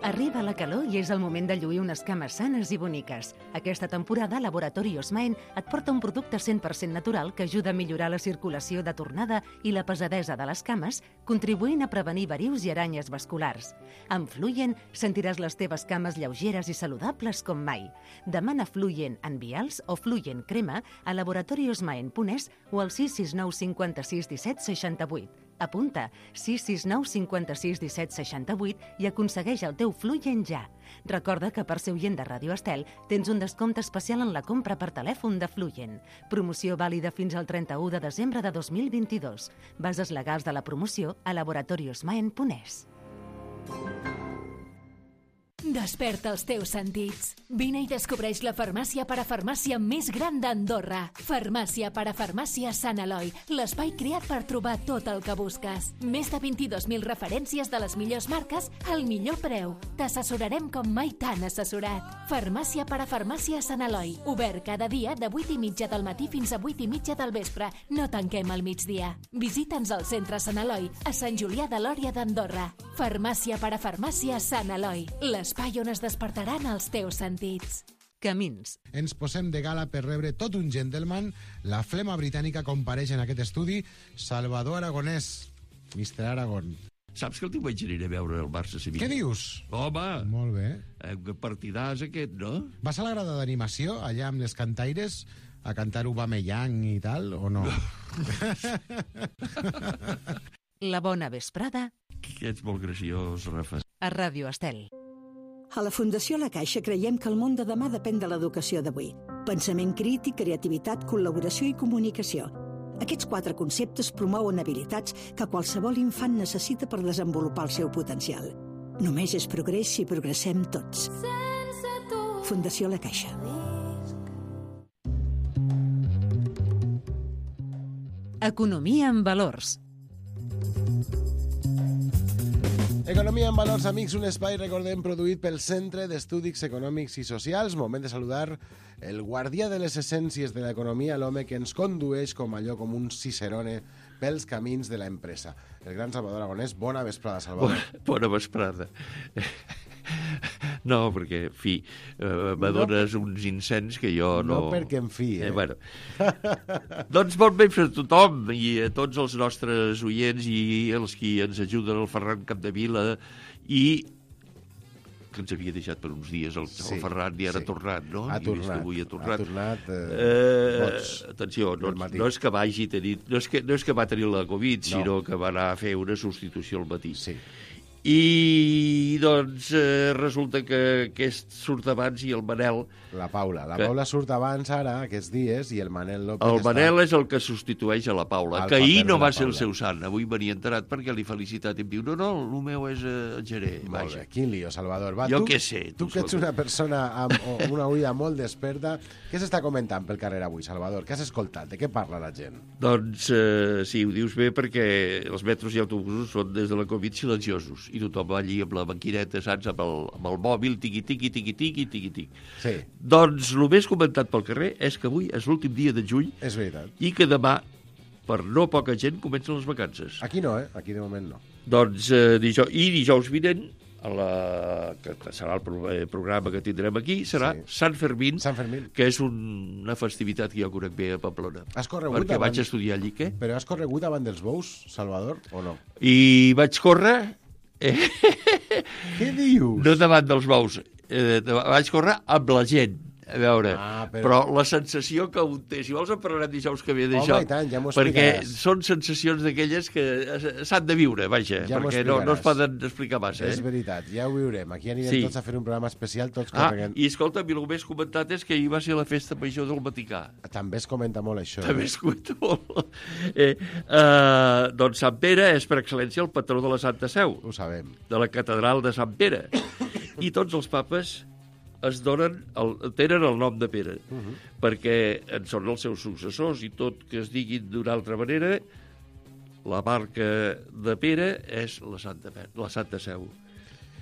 Arriba la calor i és el moment de lluir unes cames sanes i boniques. Aquesta temporada, Laboratori Osmaen et porta un producte cent per cent natural que ajuda a millorar la circulació de tornada i la pesadesa de les cames, contribuint a prevenir varius i aranyes vasculars. Amb Fluyen sentiràs les teves cames lleugeres i saludables com mai. Demana Fluyen en vials o Fluyen crema a laboratori osmaen punt es o al sis sis nou cinquanta-sis disset seixanta-vuit. Apunta sis sis nou cinquanta-sis disset seixanta-vuit i aconsegueix el teu Fluyen ja. Recorda que per ser oient de Ràdio Estel tens un descompte especial en la compra per telèfon de Fluyen. Promoció vàlida fins al trenta-u de desembre de dos mil vint-i-dos. Bases legals de la promoció a laboratori osmaen punt es. Desperta els teus sentits. Vine i descobreix la farmàcia parafarmàcia més gran d'Andorra. Farmàcia parafarmàcia Sant Eloi, l'espai creat per trobar tot el que busques. Més de vint-i-dos mil referències de les millors marques al millor preu. T'assessorarem com mai t'han assessorat. Farmàcia parafarmàcia Sant Eloi, obert cada dia de vuit i mitja del matí fins a vuit i mitja del vespre. No tanquem al migdia. Visita'ns al centre Sant Eloi, a Sant Julià de Lòria d'Andorra. Farmàcia parafarmàcia Sant Eloi, l'espai on es despertaran els teus sentits. Camins. Ens posem de gala per rebre tot un gentleman. La flema britànica compareix en aquest estudi. Salvador Aragonès, mister Aragón. Saps que el diumenge aniré a veure el Barça-Sevilla? Què dius? Home! Molt bé. Eh, partidàs aquest, no? Vas a la grada d'animació, allà amb les cantaires, a cantar Aubameyang i tal, o no? La bona vesprada. Que ets molt graciós, Rafa. A Ràdio Estel. A la Fundació La Caixa creiem que el món de demà depèn de l'educació d'avui. Pensament crític, creativitat, col·laboració i comunicació. Aquests quatre conceptes promouen habilitats que qualsevol infant necessita per desenvolupar el seu potencial. Només és progrés si progressem tots. Fundació La Caixa. Economia en valors. Economia en valors, amics, un espai, recordem, produït pel Centre d'Estudis Econòmics i Socials. Moment de saludar el guardià de les essències de l'economia, l'home que ens condueix com allò, com un cicerone pels camins de l'empresa. El gran Salvador Aragonès. Bona vesprada, Salvador. Bona, bona vesprada. No, perquè, en fi, eh, m'adones no, uns incens que jo no... No perquè, en fi, eh? eh bueno. Doncs bon vespre a tothom i a tots els nostres oients i els qui ens ajuden, el Ferran Capdevila, i que ens havia deixat per uns dies el, sí, el Ferran i ara sí. ha tornat, no? Ha tornat. Avui ha tornat. Ha tornat eh, eh, atenció, no, no és que vagi tenir... No és que, no és que va tenir la Covid, no. sinó que va anar a fer una substitució al matí. Sí. I, doncs, eh, resulta que aquest surt abans i el Manel... La Paula. La que... Paula surt abans ara, aquests dies, i el Manel López El Manel està... és el que substitueix a la Paula, el que ahir no va Paula. ser el seu sant. Avui venia enterat perquè li felicitat i em diu, no, no, el meu és eh, el Geré. Molt bé, quin lío, Salvador. Va, jo tu, què sé. Tu, tu que ets una persona amb una ulla molt desperta, què s'està comentant pel carrer avui, Salvador? Què has escoltat? De què parla la gent? Doncs eh, sí, ho dius bé perquè els metros i autobusos són des de la Covid silenciosos i tothom va allí amb la maquineta, saps, amb el, amb el mòbil, tiqui, tiqui, tiqui, tiqui, tiqui, tiqui. Sí. Doncs el més comentat pel carrer és que avui és l'últim dia de juny. És veritat. I que demà, per no poca gent, comencen les vacances. Aquí no, eh? Aquí de moment no. Doncs eh, dijous, i dijous vinent, a la, que serà el pro, eh, programa que tindrem aquí, serà sí. Sant Fermín, Sant Fermín, que és un, una festivitat que jo conec bé a Pamplona. Has corregut perquè davant... vaig estudiar allí, què? Però has corregut davant dels bous, Salvador, o no? I vaig córrer... Eh? Què dius? No davant dels bous, eh, vaig córrer amb la gent. A veure, ah, però... però la sensació que un té, si vols en parlarem dijous que ve d'això, ja perquè són sensacions d'aquelles que s'han de viure, vaja, ja perquè no, no es poden explicar massa. És eh? veritat, ja ho viurem. Aquí anirem sí. tots a fer un programa especial, tots ah, corregant. I escolta, a mi el més comentat és que ahir va ser la festa major del Vaticà. També es comenta molt això. També eh? es comenta molt. Eh, eh, doncs Sant Pere és per excel·lència el patró de la Santa Seu. Ho sabem. De la catedral de Sant Pere. I tots els papes es donen el, tenen el nom de Pere, uh -huh. perquè en són els seus successors i tot que es diguin d'una altra manera, la marca de Pere és la Santa, la Santa Seu.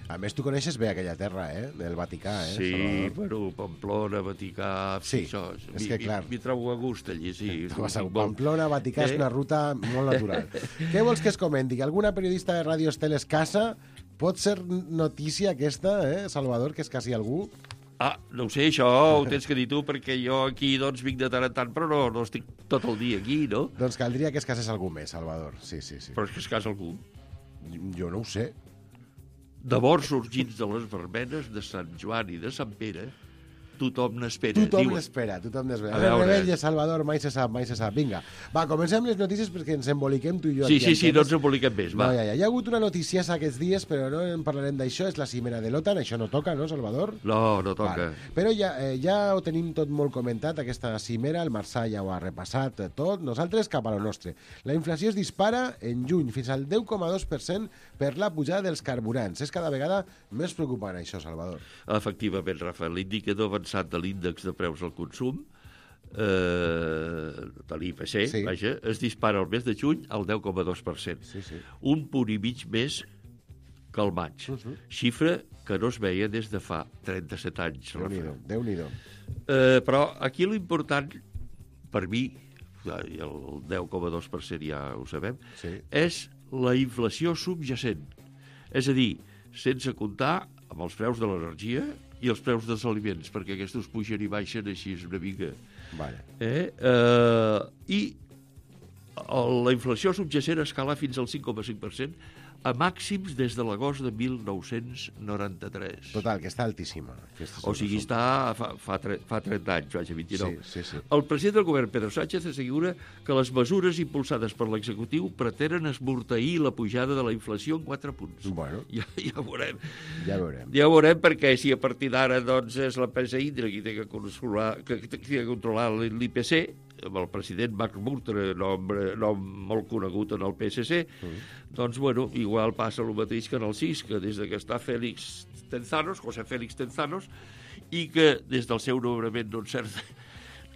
A més, tu coneixes bé aquella terra, eh? Del Vaticà, eh? Sí, Salvador. bueno, Pamplona, Vaticà... Sí, això, és que clar... M'hi trobo a gust allí, sí. Pamplona, Vaticà, eh? És una ruta molt natural. Què vols que es comenti? Que alguna periodista de Ràdio Estel es casa pot ser notícia aquesta, eh, Salvador, que és quasi algú? Ah, no ho sé, això ho tens que dir tu, perquè jo aquí doncs vinc de tant en tant, però no, no estic tot el dia aquí, no? Doncs caldria que es casés algú més, Salvador. Sí, sí, sí. Però és que es casa algú. Jo no ho sé. De morts sorgits de les verbenes de Sant Joan i de Sant Pere, tothom n'espera. Tothom n'espera, tothom n'espera. A veure, Rebella, Salvador, mai se sap, mai se sap. Vinga, va, comencem les notícies perquè ens emboliquem tu i jo. Sí, sí, sí, no ens emboliquem més, va. No, ja, ja. Hi ha hagut una notícia aquests dies, però no en parlarem d'això, és la cimera de l'OTAN, això no toca, no, Salvador? No, no toca. Vale. Però ja, eh, ja ho tenim tot molt comentat, aquesta cimera, el Marçà ja ho ha repassat tot, nosaltres cap a lo nostre. La inflació es dispara en juny fins al deu coma dos per cent per la pujada dels carburants. És cada vegada més preocupant, això, Salvador. Efectivament, Rafa, l'indicador avançat de l'índex de preus al consum, eh, de l'I P C, sí. Vaja, es dispara el mes de juny al deu coma dos per cent. Sí, sí. Un punt i mig més que el maig. Uh -huh. Xifra que no es veia des de fa trenta-set anys. Déu-n'hi-do, Déu-n'hi-do. Eh, però aquí l'important, per mi, el deu coma dos per cent ja ho sabem, sí. És la inflació subjacent. És a dir, sense comptar amb els preus de l'energia i els preus dels aliments, perquè aquests pugen i baixen així una mica. Vale. Eh? Eh, I la inflació subjacent escala fins al cinc coma cinc per cent a màxims des de l'agost de mil nou-cents noranta-tres. Total, que està altíssima. O sigui, està fa, fa, fa trenta anys, vaja, vint-i-nou. Sí, sí, sí. El president del govern, Pedro Sánchez, assegura que les mesures impulsades per l'executiu pretenen esmorteir la pujada de la inflació en quatre punts. Bueno. Ja, ja veurem. Ja veurem. Ja veurem, perquè si a partir d'ara doncs, és l'empresa Indra qui té que controlar, que, que, que controlar l'I P C, amb el president Marc Rutte, nom, nom molt conegut en el P S C, mm. doncs, bueno, igual passa el mateix que en el C I S, que des que està Félix Tenzanos, José Félix Tenzanos, i que des del seu nomenament no encerta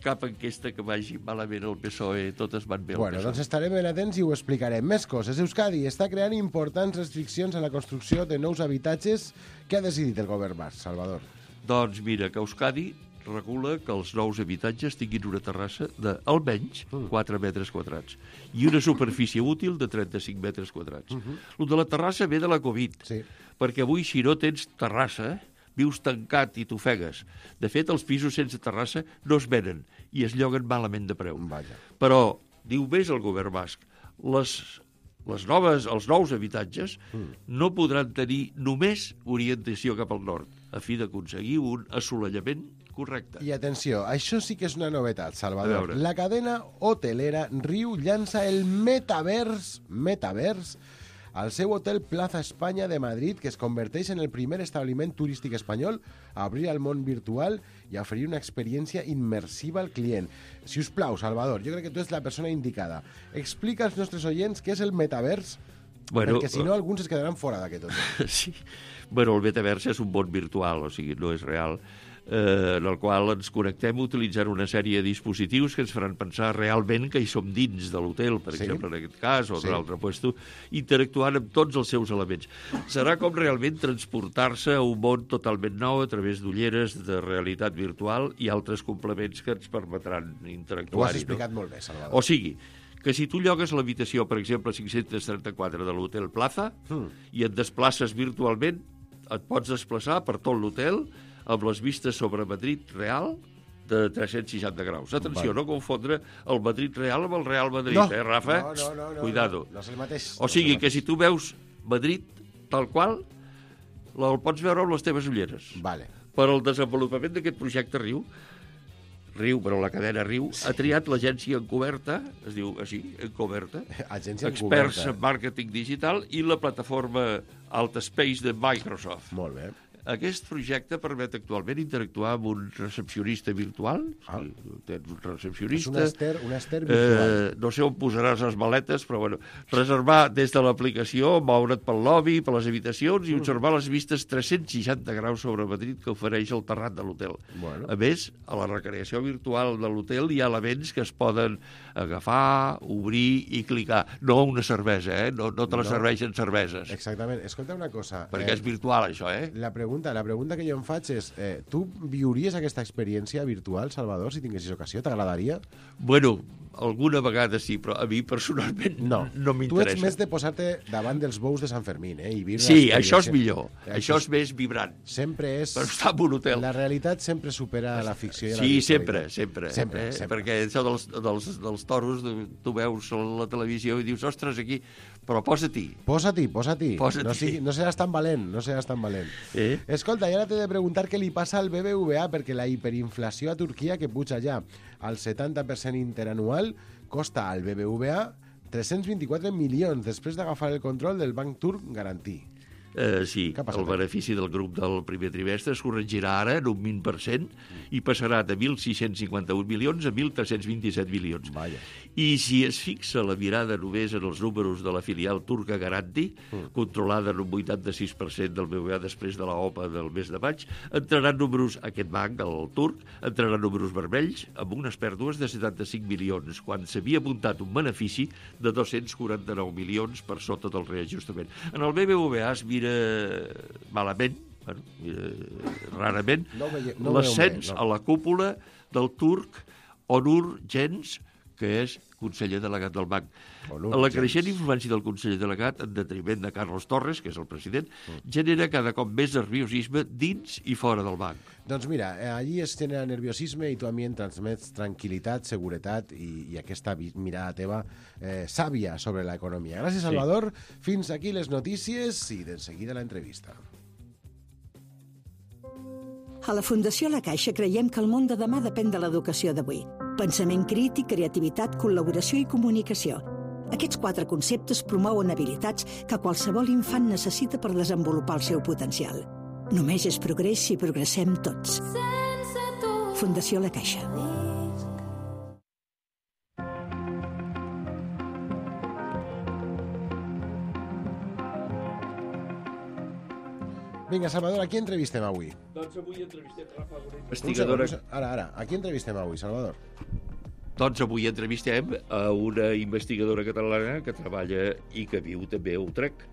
cap enquesta que vagi malament al P S O E, totes van bé al bueno, P S O E. Doncs estarem ben atents i ho explicarem. Més coses. Euskadi està creant importants restriccions a la construcció de nous habitatges. Què ha decidit el govern basc, Salvador? Doncs mira, que Euskadi regula que els nous habitatges tinguin una terrassa d'almenys quatre metres quadrats i una superfície útil de trenta-cinc metres quadrats. Uh -huh. El de la terrassa ve de la Covid, sí. Perquè avui, si no tens terrassa, vius tancat i t'ofegues. De fet, els pisos sense terrassa no es venen i es lloguen malament de preu. Vaja. Però, diu més el govern basc, les... Les noves, els nous habitatges mm. no podran tenir només orientació cap al nord, a fi d'aconseguir un assolellament correcte. I atenció, això sí que és una novetat, Salvador. La cadena hotelera Riu llança el Metavers, Metavers, al seu hotel Plaza España de Madrid, que es converteix en el primer establiment turístic espanyol a obrir al món virtual i a oferir una experiència immersiva al client. Si us plau, Salvador, jo crec que tu ets la persona indicada. Explica als nostres oients què és el metavers, bueno, perquè si no alguns es quedaran fora d'aquest hotel. Sí. Bueno, el metavers és un món virtual, o sigui, no és real, eh, en el qual ens connectem utilitzant una sèrie de dispositius que ens faran pensar realment que hi som dins de l'hotel, per sí. exemple, en aquest cas, o sí. d'un altre puesto, interactuant amb tots els seus elements. Serà com realment transportar-se a un món totalment nou a través d'ulleres de realitat virtual i altres complements que ens permetran interactuar-hi. Ho has explicat no? molt bé, Salvador. O sigui, que si tu llogues l'habitació, per exemple, cinc-cents trenta-quatre de l'hotel Plaza mm. i et desplaces virtualment, et pots desplaçar per tot l'hotel amb les vistes sobre Madrid real de tres-cents seixanta graus. Atenció, vale. No confondre el Madrid real amb el Real Madrid, no. eh, Rafa? No, no, no. Cuidado. No, no és el mateix. O sigui, no que si tu veus Madrid tal qual, el pots veure amb les teves ulleres. Vale. Per al desenvolupament d'aquest projecte Riu, Riu, però la cadena Riu, sí. ha triat l'agència Encoberta, es diu així, Encoberta, agència experts Encoberta. en màrqueting digital i la plataforma Altspace de Microsoft. Molt bé. Aquest projecte permet actualment interactuar amb un recepcionista virtual. Ah. Sí, tens un recepcionista. És un Ester, un Ester virtual. Eh, no sé on posaràs les maletes, però bueno, reservar des de l'aplicació, moure't pel lobby, per les habitacions i observar les vistes tres-cents seixanta graus sobre Madrid que ofereix el terrat de l'hotel. Bueno. A més, a la recreació virtual de l'hotel hi ha elements que es poden agafar, obrir i clicar. No una cervesa, eh? No, no te la no. serveixen cerveses. Exactament. Escolta una cosa. Perquè eh, és virtual, això, eh? La pregunta pregunta. La pregunta que jo em faig és, eh, tu viuries aquesta experiència virtual, Salvador, si tinguessis ocasió? T'agradaria? Bueno, alguna vegada sí, però a mi personalment no, no m'interessa. Tu ets més de posar-te davant dels bous de Sant Fermín, eh? I viure sí, això és millor. Eh, això és més vibrant. Sempre és... Per estar en un hotel. La realitat sempre supera la ficció i la sí, virtualitat. sempre, sempre. Sempre, eh? sempre. Perquè això dels, dels, dels toros, tu veus a la televisió i dius, ostres, aquí... Però posa-t'hi. Posa-t'hi, posa-t'hi. Posa no, sigui, no seràs tan valent, no seràs tan valent. Eh? Escolta, i ara t'he de preguntar què li passa al B B V A, perquè la hiperinflació a Turquia, que puja ja al setanta per cent interanual, costa al B B V A tres-cents vint-i-quatre milions després d'agafar el control del banc turc Garanti. Eh, sí, el benefici del grup del primer trimestre es corregirà ara en un vint per cent i passarà de mil sis-cents cinquanta-un milions a mil tres-cents vint-i-set milions. Vaja. I si es fixa la mirada només en els números de la filial turca Garanti, mm. controlada en un vuitanta-sis per cent del B B V A després de la O P A del mes de maig, entraran números, aquest banc, el turc, entraran números vermells amb unes pèrdues de setanta-cinc milions, quan s'havia apuntat un benefici de dos-cents quaranta-nou milions per sota del reajustament. En el B B V A es mira malament, bueno, eh, rarament, no no l'ascens no. a la cúpula del turc Onur Gens, que és conseller delegat del banc. Onur la creixent Gens. Influència del conseller delegat, en detriment de Carlos Torres, que és el president, mm. genera cada cop més nerviosisme dins i fora del banc. Doncs mira, allí es genera nerviosisme i tu a mi em transmets tranquil·litat, seguretat i, i aquesta mirada teva eh, sàvia sobre l'economia. Gràcies, Salvador. Sí. Fins aquí les notícies i de seguida l'entrevista. A la Fundació La Caixa creiem que el món de demà depèn de l'educació d'avui. Pensament crític, creativitat, col·laboració i comunicació. Aquests quatre conceptes promouen habilitats que qualsevol infant necessita per desenvolupar el seu potencial. Només és progrés si progressem tots. Fundació La Caixa. Vinga, Salvador, a qui entrevistem avui? Doncs avui entrevistem Rafa, una investigadora... Ara, ara, a qui entrevistem avui, Salvador? Doncs avui entrevistem a una investigadora catalana que treballa i que viu també a Utrecht.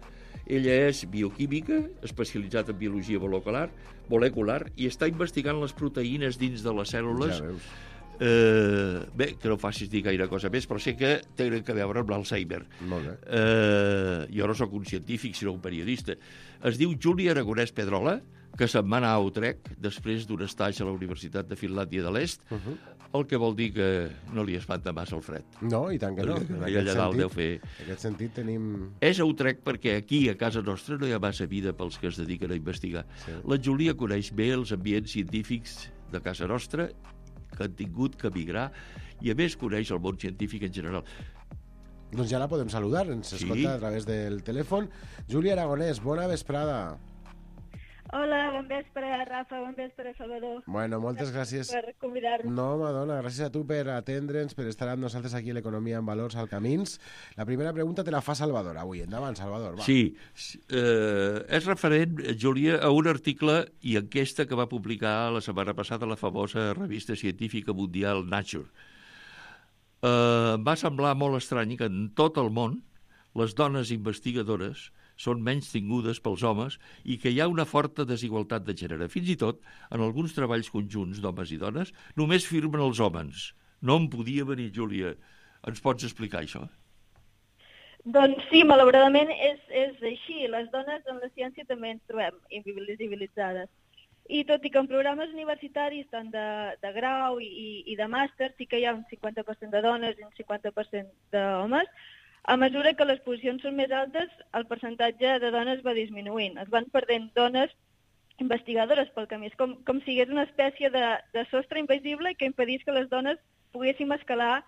Ella és bioquímica, especialitzat en biologia molecular, molecular i està investigant les proteïnes dins de les cèl·lules. Ja veus. Eh, bé, que no facis dir gaire cosa més, però sé que tenen a veure amb l'Alzheimer. Molt bé. Eh, jo no sóc un científic, sinó un periodista. Es diu Júlia Aragonès Pedrola, que se'n va anar a Utrecht després d'un estatge a la Universitat de Finlàndia de l'Est, uh -huh. el que vol dir que no li espanta massa el fred. No, i tant que no. En allà dalt deu fer... En aquest sentit tenim... És a Utrecht perquè aquí, a casa nostra, no hi ha massa vida pels que es dediquen a investigar. Sí. La Júlia coneix bé els ambients científics de casa nostra, que han tingut que migrar, i a més coneix el món científic en general. Doncs ja la podem saludar, ens escolta sí. a través del telèfon. Júlia Aragonès, bona vesprada. Hola, bon vespre, Rafa, bon vespre, Salvador. Bueno, moltes gràcies. Per convidar-nos. No, Madonna, gràcies a tu per atendre'ns, per estar amb nosaltres aquí a l'Economia en Valors al Camins. La primera pregunta te la fa Salvador avui. Endavant, Salvador, va. Sí, eh, és referent, Júlia, a un article i enquesta que va publicar la setmana passada la famosa revista científica mundial Nature. Eh, va semblar molt estrany que en tot el món les dones investigadores són menys tingudes pels homes i que hi ha una forta desigualtat de gènere. Fins i tot, en alguns treballs conjunts d'homes i dones, només firmen els homes. No em podia venir, Júlia. Ens pots explicar això? Doncs sí, malauradament és, és així. Les dones en la ciència també ens trobem invisibilitzades. I tot i que en programes universitaris, tant de, de grau i, i de màster, sí que hi ha un cinquanta per cent de dones i un cinquanta per cent d'homes, a mesura que les posicions són més altes, el percentatge de dones va disminuint. Es van perdent dones investigadores pel camí. És com, com si hi hagués una espècie de, de sostre invisible que impedís que les dones poguéssim escalar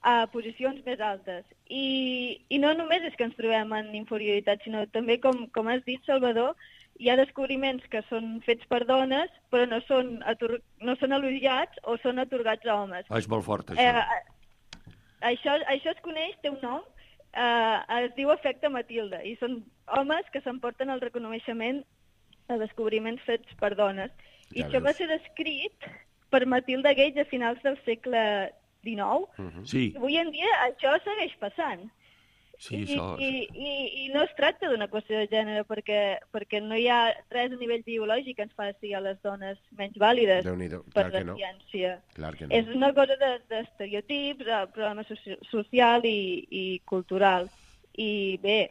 a posicions més altes. I, i no només és que ens trobem en inferioritat, sinó també, com, com has dit, Salvador, hi ha descobriments que són fets per dones, però no són, ator no són elogiats o són atorgats a homes. Ah, és molt fort, això. Eh, això, això es coneix, té un nom, Uh, es diu efecte Matilde, i són homes que s'emporten el reconeixement de descobriments fets per dones. I ja això veus. Va ser descrit per Matilda Gage a finals del segle dinou. Uh-huh. Sí. Avui en dia això segueix passant. Sí, I, això... i, i, I no es tracta d'una qüestió de gènere, perquè, perquè no hi ha res a nivell biològic que ens faci a les dones menys vàlides per la no. ciència. Clar que no. És una cosa d'estereotips, de, de problema soci social i, i cultural. I bé...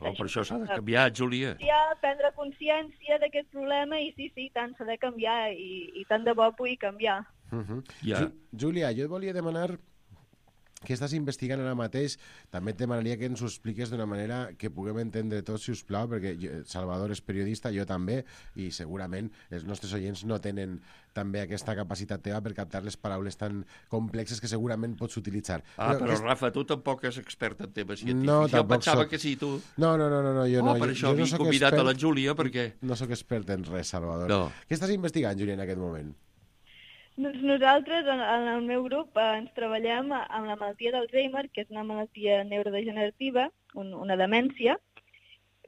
Oh, per això s'ha de canviar, Júlia. Prendre consciència d'aquest problema i sí, sí, tant s'ha de canviar i, i tant de bo pugui canviar. Uh -huh. yeah. Júlia, jo et volia demanar què estàs investigant ara mateix. També et demanaria que ens ho expliques d'una manera que puguem entendre tots, si us plau, perquè jo, Salvador és periodista, jo també, i segurament els nostres oients no tenen també aquesta capacitat teva per captar les paraules tan complexes que segurament pots utilitzar. Ah, però, però és... Rafa, tu tampoc és expert en temes científics. No, jo pensava soc... que sí, tu. No, no, no, no jo oh, no. Per jo, això jo no havia convidat expert... a la Júlia, perquè... No sóc expert en res, Salvador. No. Què estàs investigant, Júlia, en aquest moment? Doncs nosaltres, en, en el meu grup, eh, ens treballem amb la malaltia d'Alzheimer, que és una malaltia neurodegenerativa, un, una demència,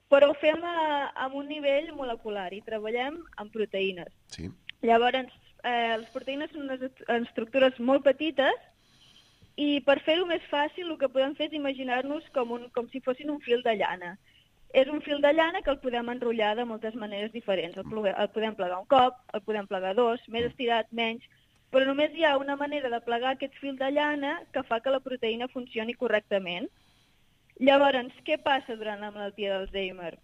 però ho fem a, a un nivell molecular i treballem amb proteïnes. Sí. Llavors, eh, les proteïnes són unes estructures molt petites i per fer-ho més fàcil el que podem fer és imaginar-nos com, un, com si fossin un fil de llana. És un fil de llana que el podem enrotllar de moltes maneres diferents. El, el podem plegar un cop, el podem plegar dos, més estirat, menys, però només hi ha una manera de plegar aquest fil de llana que fa que la proteïna funcioni correctament. Llavors, què passa durant la malaltia d'Alzheimer?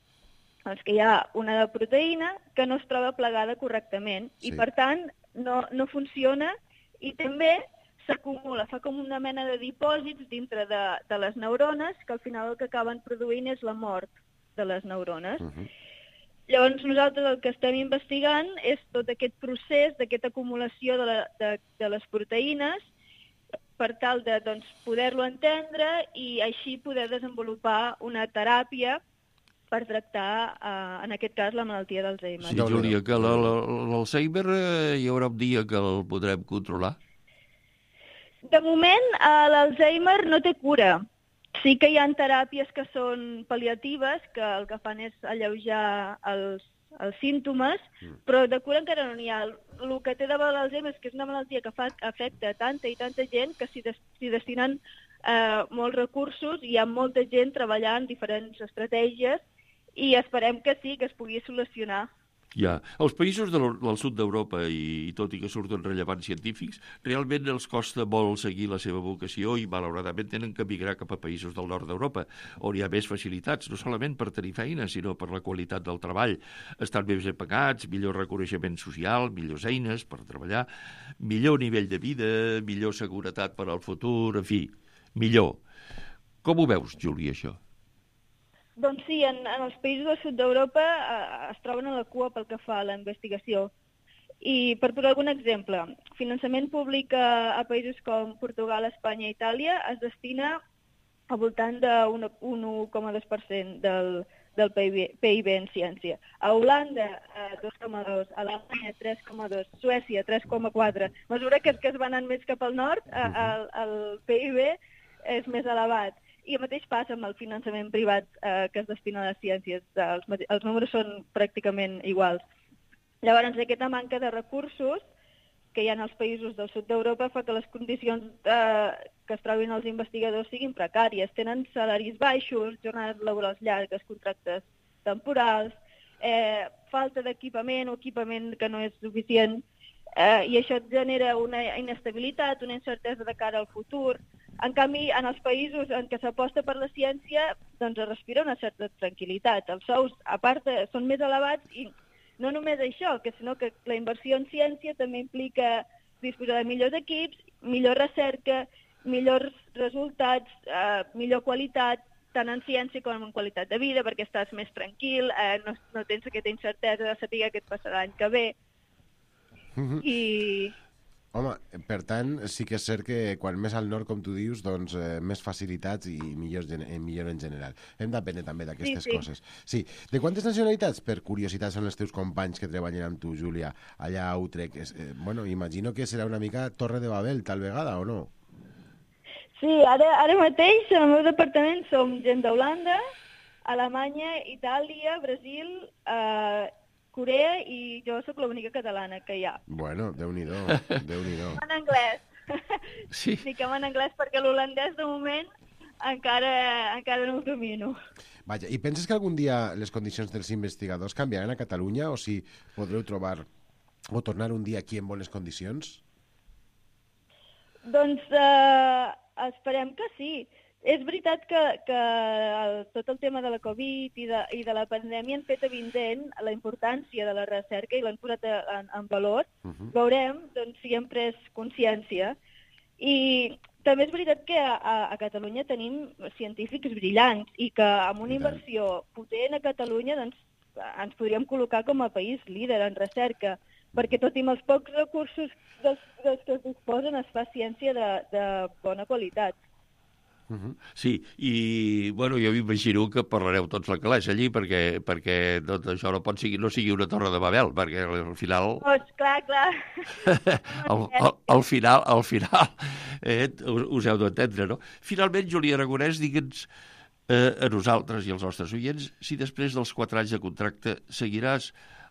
Doncs que hi ha una proteïna que no es troba plegada correctament sí. i, per tant, no, no funciona i també s'acumula, fa com una mena de dipòsits dintre de, de les neurones que al final el que acaben produint és la mort de les neurones. Uh-huh. Llavors nosaltres el que estem investigant és tot aquest procés d'aquesta acumulació de, la, de, de les proteïnes per tal de doncs, poder-lo entendre i així poder desenvolupar una teràpia per tractar, eh, en aquest cas, la malaltia d'Alzheimer. Sí, Júlia, que l'Alzheimer eh, hi haurà un dia que el podrem controlar? De moment, eh, l'Alzheimer no té cura. Sí que hi ha teràpies que són pal·liatives, que el que fan és alleujar els, els símptomes, mm. però de cura encara no n'hi ha. El que té de bo l'Alzheimer és que és una malaltia que fa, afecta tanta i tanta gent que s'hi des, destinen eh, molts recursos i hi ha molta gent treballant diferents estratègies i esperem que sí, que es pugui solucionar. Ja. Els països del, del sud d'Europa, i, i tot i que surten rellevants científics, realment els costa molt seguir la seva vocació i, malauradament, tenen que migrar cap a països del nord d'Europa, on hi ha més facilitats, no solament per tenir feina, sinó per la qualitat del treball. Estan més ben pagats, millor reconeixement social, millors eines per treballar, millor nivell de vida, millor seguretat per al futur, en fi, millor. Com ho veus, Júlia, això? Doncs sí, en, en els països del sud d'Europa eh, es troben a la cua pel que fa a la investigació. I per posar algun exemple, finançament públic a, a països com Portugal, Espanya i Itàlia es destina al voltant d'un un un coma dos per cent del, del P I B en ciència. A Holanda, eh, dos coma dos, a Alemanya, tres coma dos, Suècia, tres coma quatre. A mesura que, que es van anant més cap al nord, eh, el, el P I B és més elevat. I el mateix passa amb el finançament privat eh, que es destina a les ciències. Els, els números són pràcticament iguals. Llavors, aquesta manca de recursos que hi ha als països del sud d'Europa fa que les condicions eh, que es trobin els investigadors siguin precàries. Tenen salaris baixos, jornades laborals llargues, contractes temporals, eh, falta d'equipament o equipament que no és suficient, eh, i això genera una inestabilitat, una incertesa de cara al futur. En canvi, en els països en què s'aposta per la ciència, doncs es respira una certa tranquil·litat. Els sous, a part, són més elevats i no només això, que sinó que la inversió en ciència també implica disposar de millors equips, millor recerca, millors resultats, eh, millor qualitat, tant en ciència com en qualitat de vida, perquè estàs més tranquil, eh, no, no tens aquesta incertesa de saber què et passarà l'any que ve. Mm-hmm. I... Home, per tant, sí que és cert que quan més al nord, com tu dius, doncs eh, més facilitats i millor, millor en general. Hem d'aprendre també d'aquestes sí, sí. coses. Sí. De quantes nacionalitats, per curiositat, són els teus companys que treballen amb tu, Júlia, allà a Utrecht? Eh, bueno, imagino que serà una mica Torre de Babel, tal vegada, o no? Sí, ara, ara mateix, en el meu departament, som gent d'Holanda, Alemanya, Itàlia, Brasil, eh, Corea i jo sóc l'única catalana que hi ha. Bueno, Déu-n'hi-do, Déu-n'hi-do. En anglès. Sí. Fiquem en anglès perquè l'holandès de moment encara, encara no ho domino. Vaja, i penses que algun dia les condicions dels investigadors canviaran a Catalunya o si podreu trobar o tornar un dia aquí en bones condicions? Doncs eh, esperem que sí. És veritat que, que el, tot el tema de la Covid i de, i de la pandèmia han fet evident la importància de la recerca i l'han posat en, en valor. Uh-huh. Veurem doncs, si hem pres consciència. I també és veritat que a, a Catalunya tenim científics brillants i que amb una inversió potent a Catalunya doncs, ens podríem col·locar com a país líder en recerca, perquè tot i amb els pocs recursos dels, dels que es disposen es fa ciència de, de bona qualitat. Uh-huh. Sí, i bueno, jo m'imagino que parlareu tots l'anglès allí perquè, perquè tot això no pot sigui, no sigui una torre de Babel, perquè al final... Doncs clar, clar. al, al, al final, al final eh, us heu d'entendre, no? Finalment, Júlia Aragonès, digue'ns eh, a nosaltres i als nostres oients si després dels quatre anys de contracte seguiràs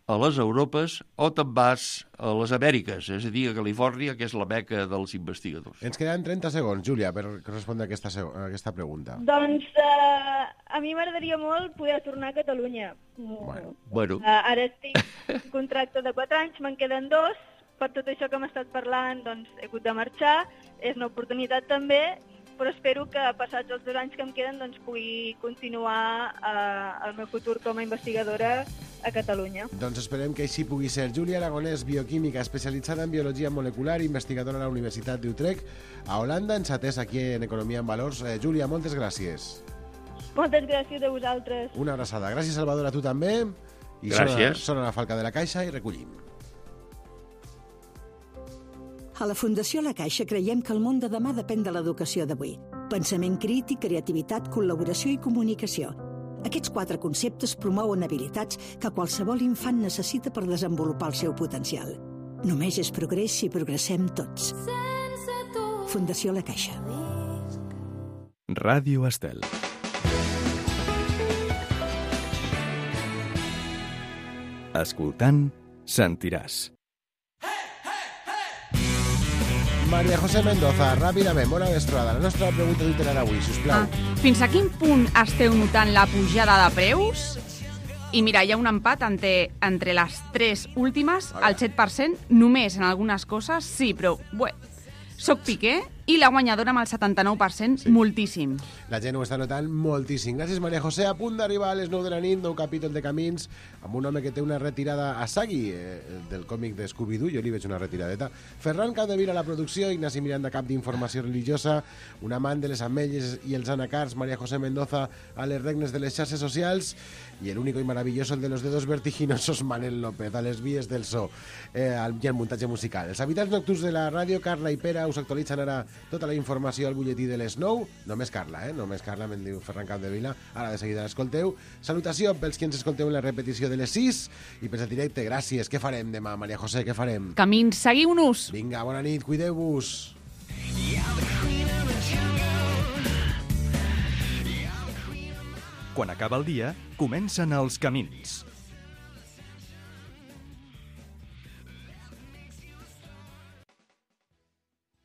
a les Europes o te'n vas a les Amèriques, és a dir, a Califòrnia, que és la meca dels investigadors. Ens queden trenta segons, Júlia, per respondre a aquesta, a aquesta pregunta. Doncs eh, a mi m'agradaria molt poder tornar a Catalunya. Bueno. bueno. Uh, ara estic en contracte de quatre anys, me'n queden dos. Per tot això que hem estat parlant, doncs he hagut de marxar. És una oportunitat també, però espero que passats els dos anys que em queden doncs, pugui continuar eh, el meu futur com a investigadora a Catalunya. Doncs esperem que així pugui ser. Júlia Aragonès, bioquímica, especialitzada en biologia molecular, investigadora a la Universitat d'Utrecht, a Holanda, ens atès aquí en Economia en Valors. Eh, Júlia, moltes gràcies. Moltes gràcies a vosaltres. Una abraçada. Gràcies, Salvador, a tu també. I gràcies. Sona, sona la falca de la Caixa i recollim. A la Fundació La Caixa creiem que el món de demà depèn de l'educació d'avui. Pensament crític, creativitat, col·laboració i comunicació. Aquests quatre conceptes promouen habilitats que qualsevol infant necessita per desenvolupar el seu potencial. Només és progrés si progressem tots. Fundació La Caixa. Ràdio Estel. Escoltant, sentiràs. Maria José Mendoza, ràpidament, bona vesprada. La nostra pregunta literària avui, sisplau. Ah, fins a quin punt esteu notant la pujada de preus? I mira, hi ha un empat entre, entre les tres últimes, el set per cent, només en algunes coses, sí, però, bé, soc Piqué i la guanyadora amb el setanta-nou per cent, sí. Moltíssim. La gent ho està notant moltíssim. Gràcies, Maria José. A punt d'arribar a les nou de la nit, nou capítol de Camins, amb un home que té una retirada a Sagui, eh, del còmic de Scooby-Doo. Jo li veig una retiradeta. Ferran Capdevila a la producció, Ignasi Miranda, cap d'informació religiosa, un amant de les ametlles i els anacards, Maria José Mendoza, a les regnes de les xarxes socials, i el único y maravilloso, el de los dedos vertiginosos, Manel López, a les vies del so, eh, i el muntatge musical. Els habitants nocturns de la ràdio, Carla i Pere, us actualitzen ara tota la informació al butlletí de les nou. Només Carla, eh? Només Carla, me'n diu Ferran Capdevila. Ara de seguida l'escolteu. Salutació pels que ens escolteu en la repetició de les sis i pels del directe. Gràcies. Què farem demà, Maria José? Què farem? Camins, seguiu-nos. Vinga, bona nit, cuideu-vos. Quan acaba el dia, comencen els camins.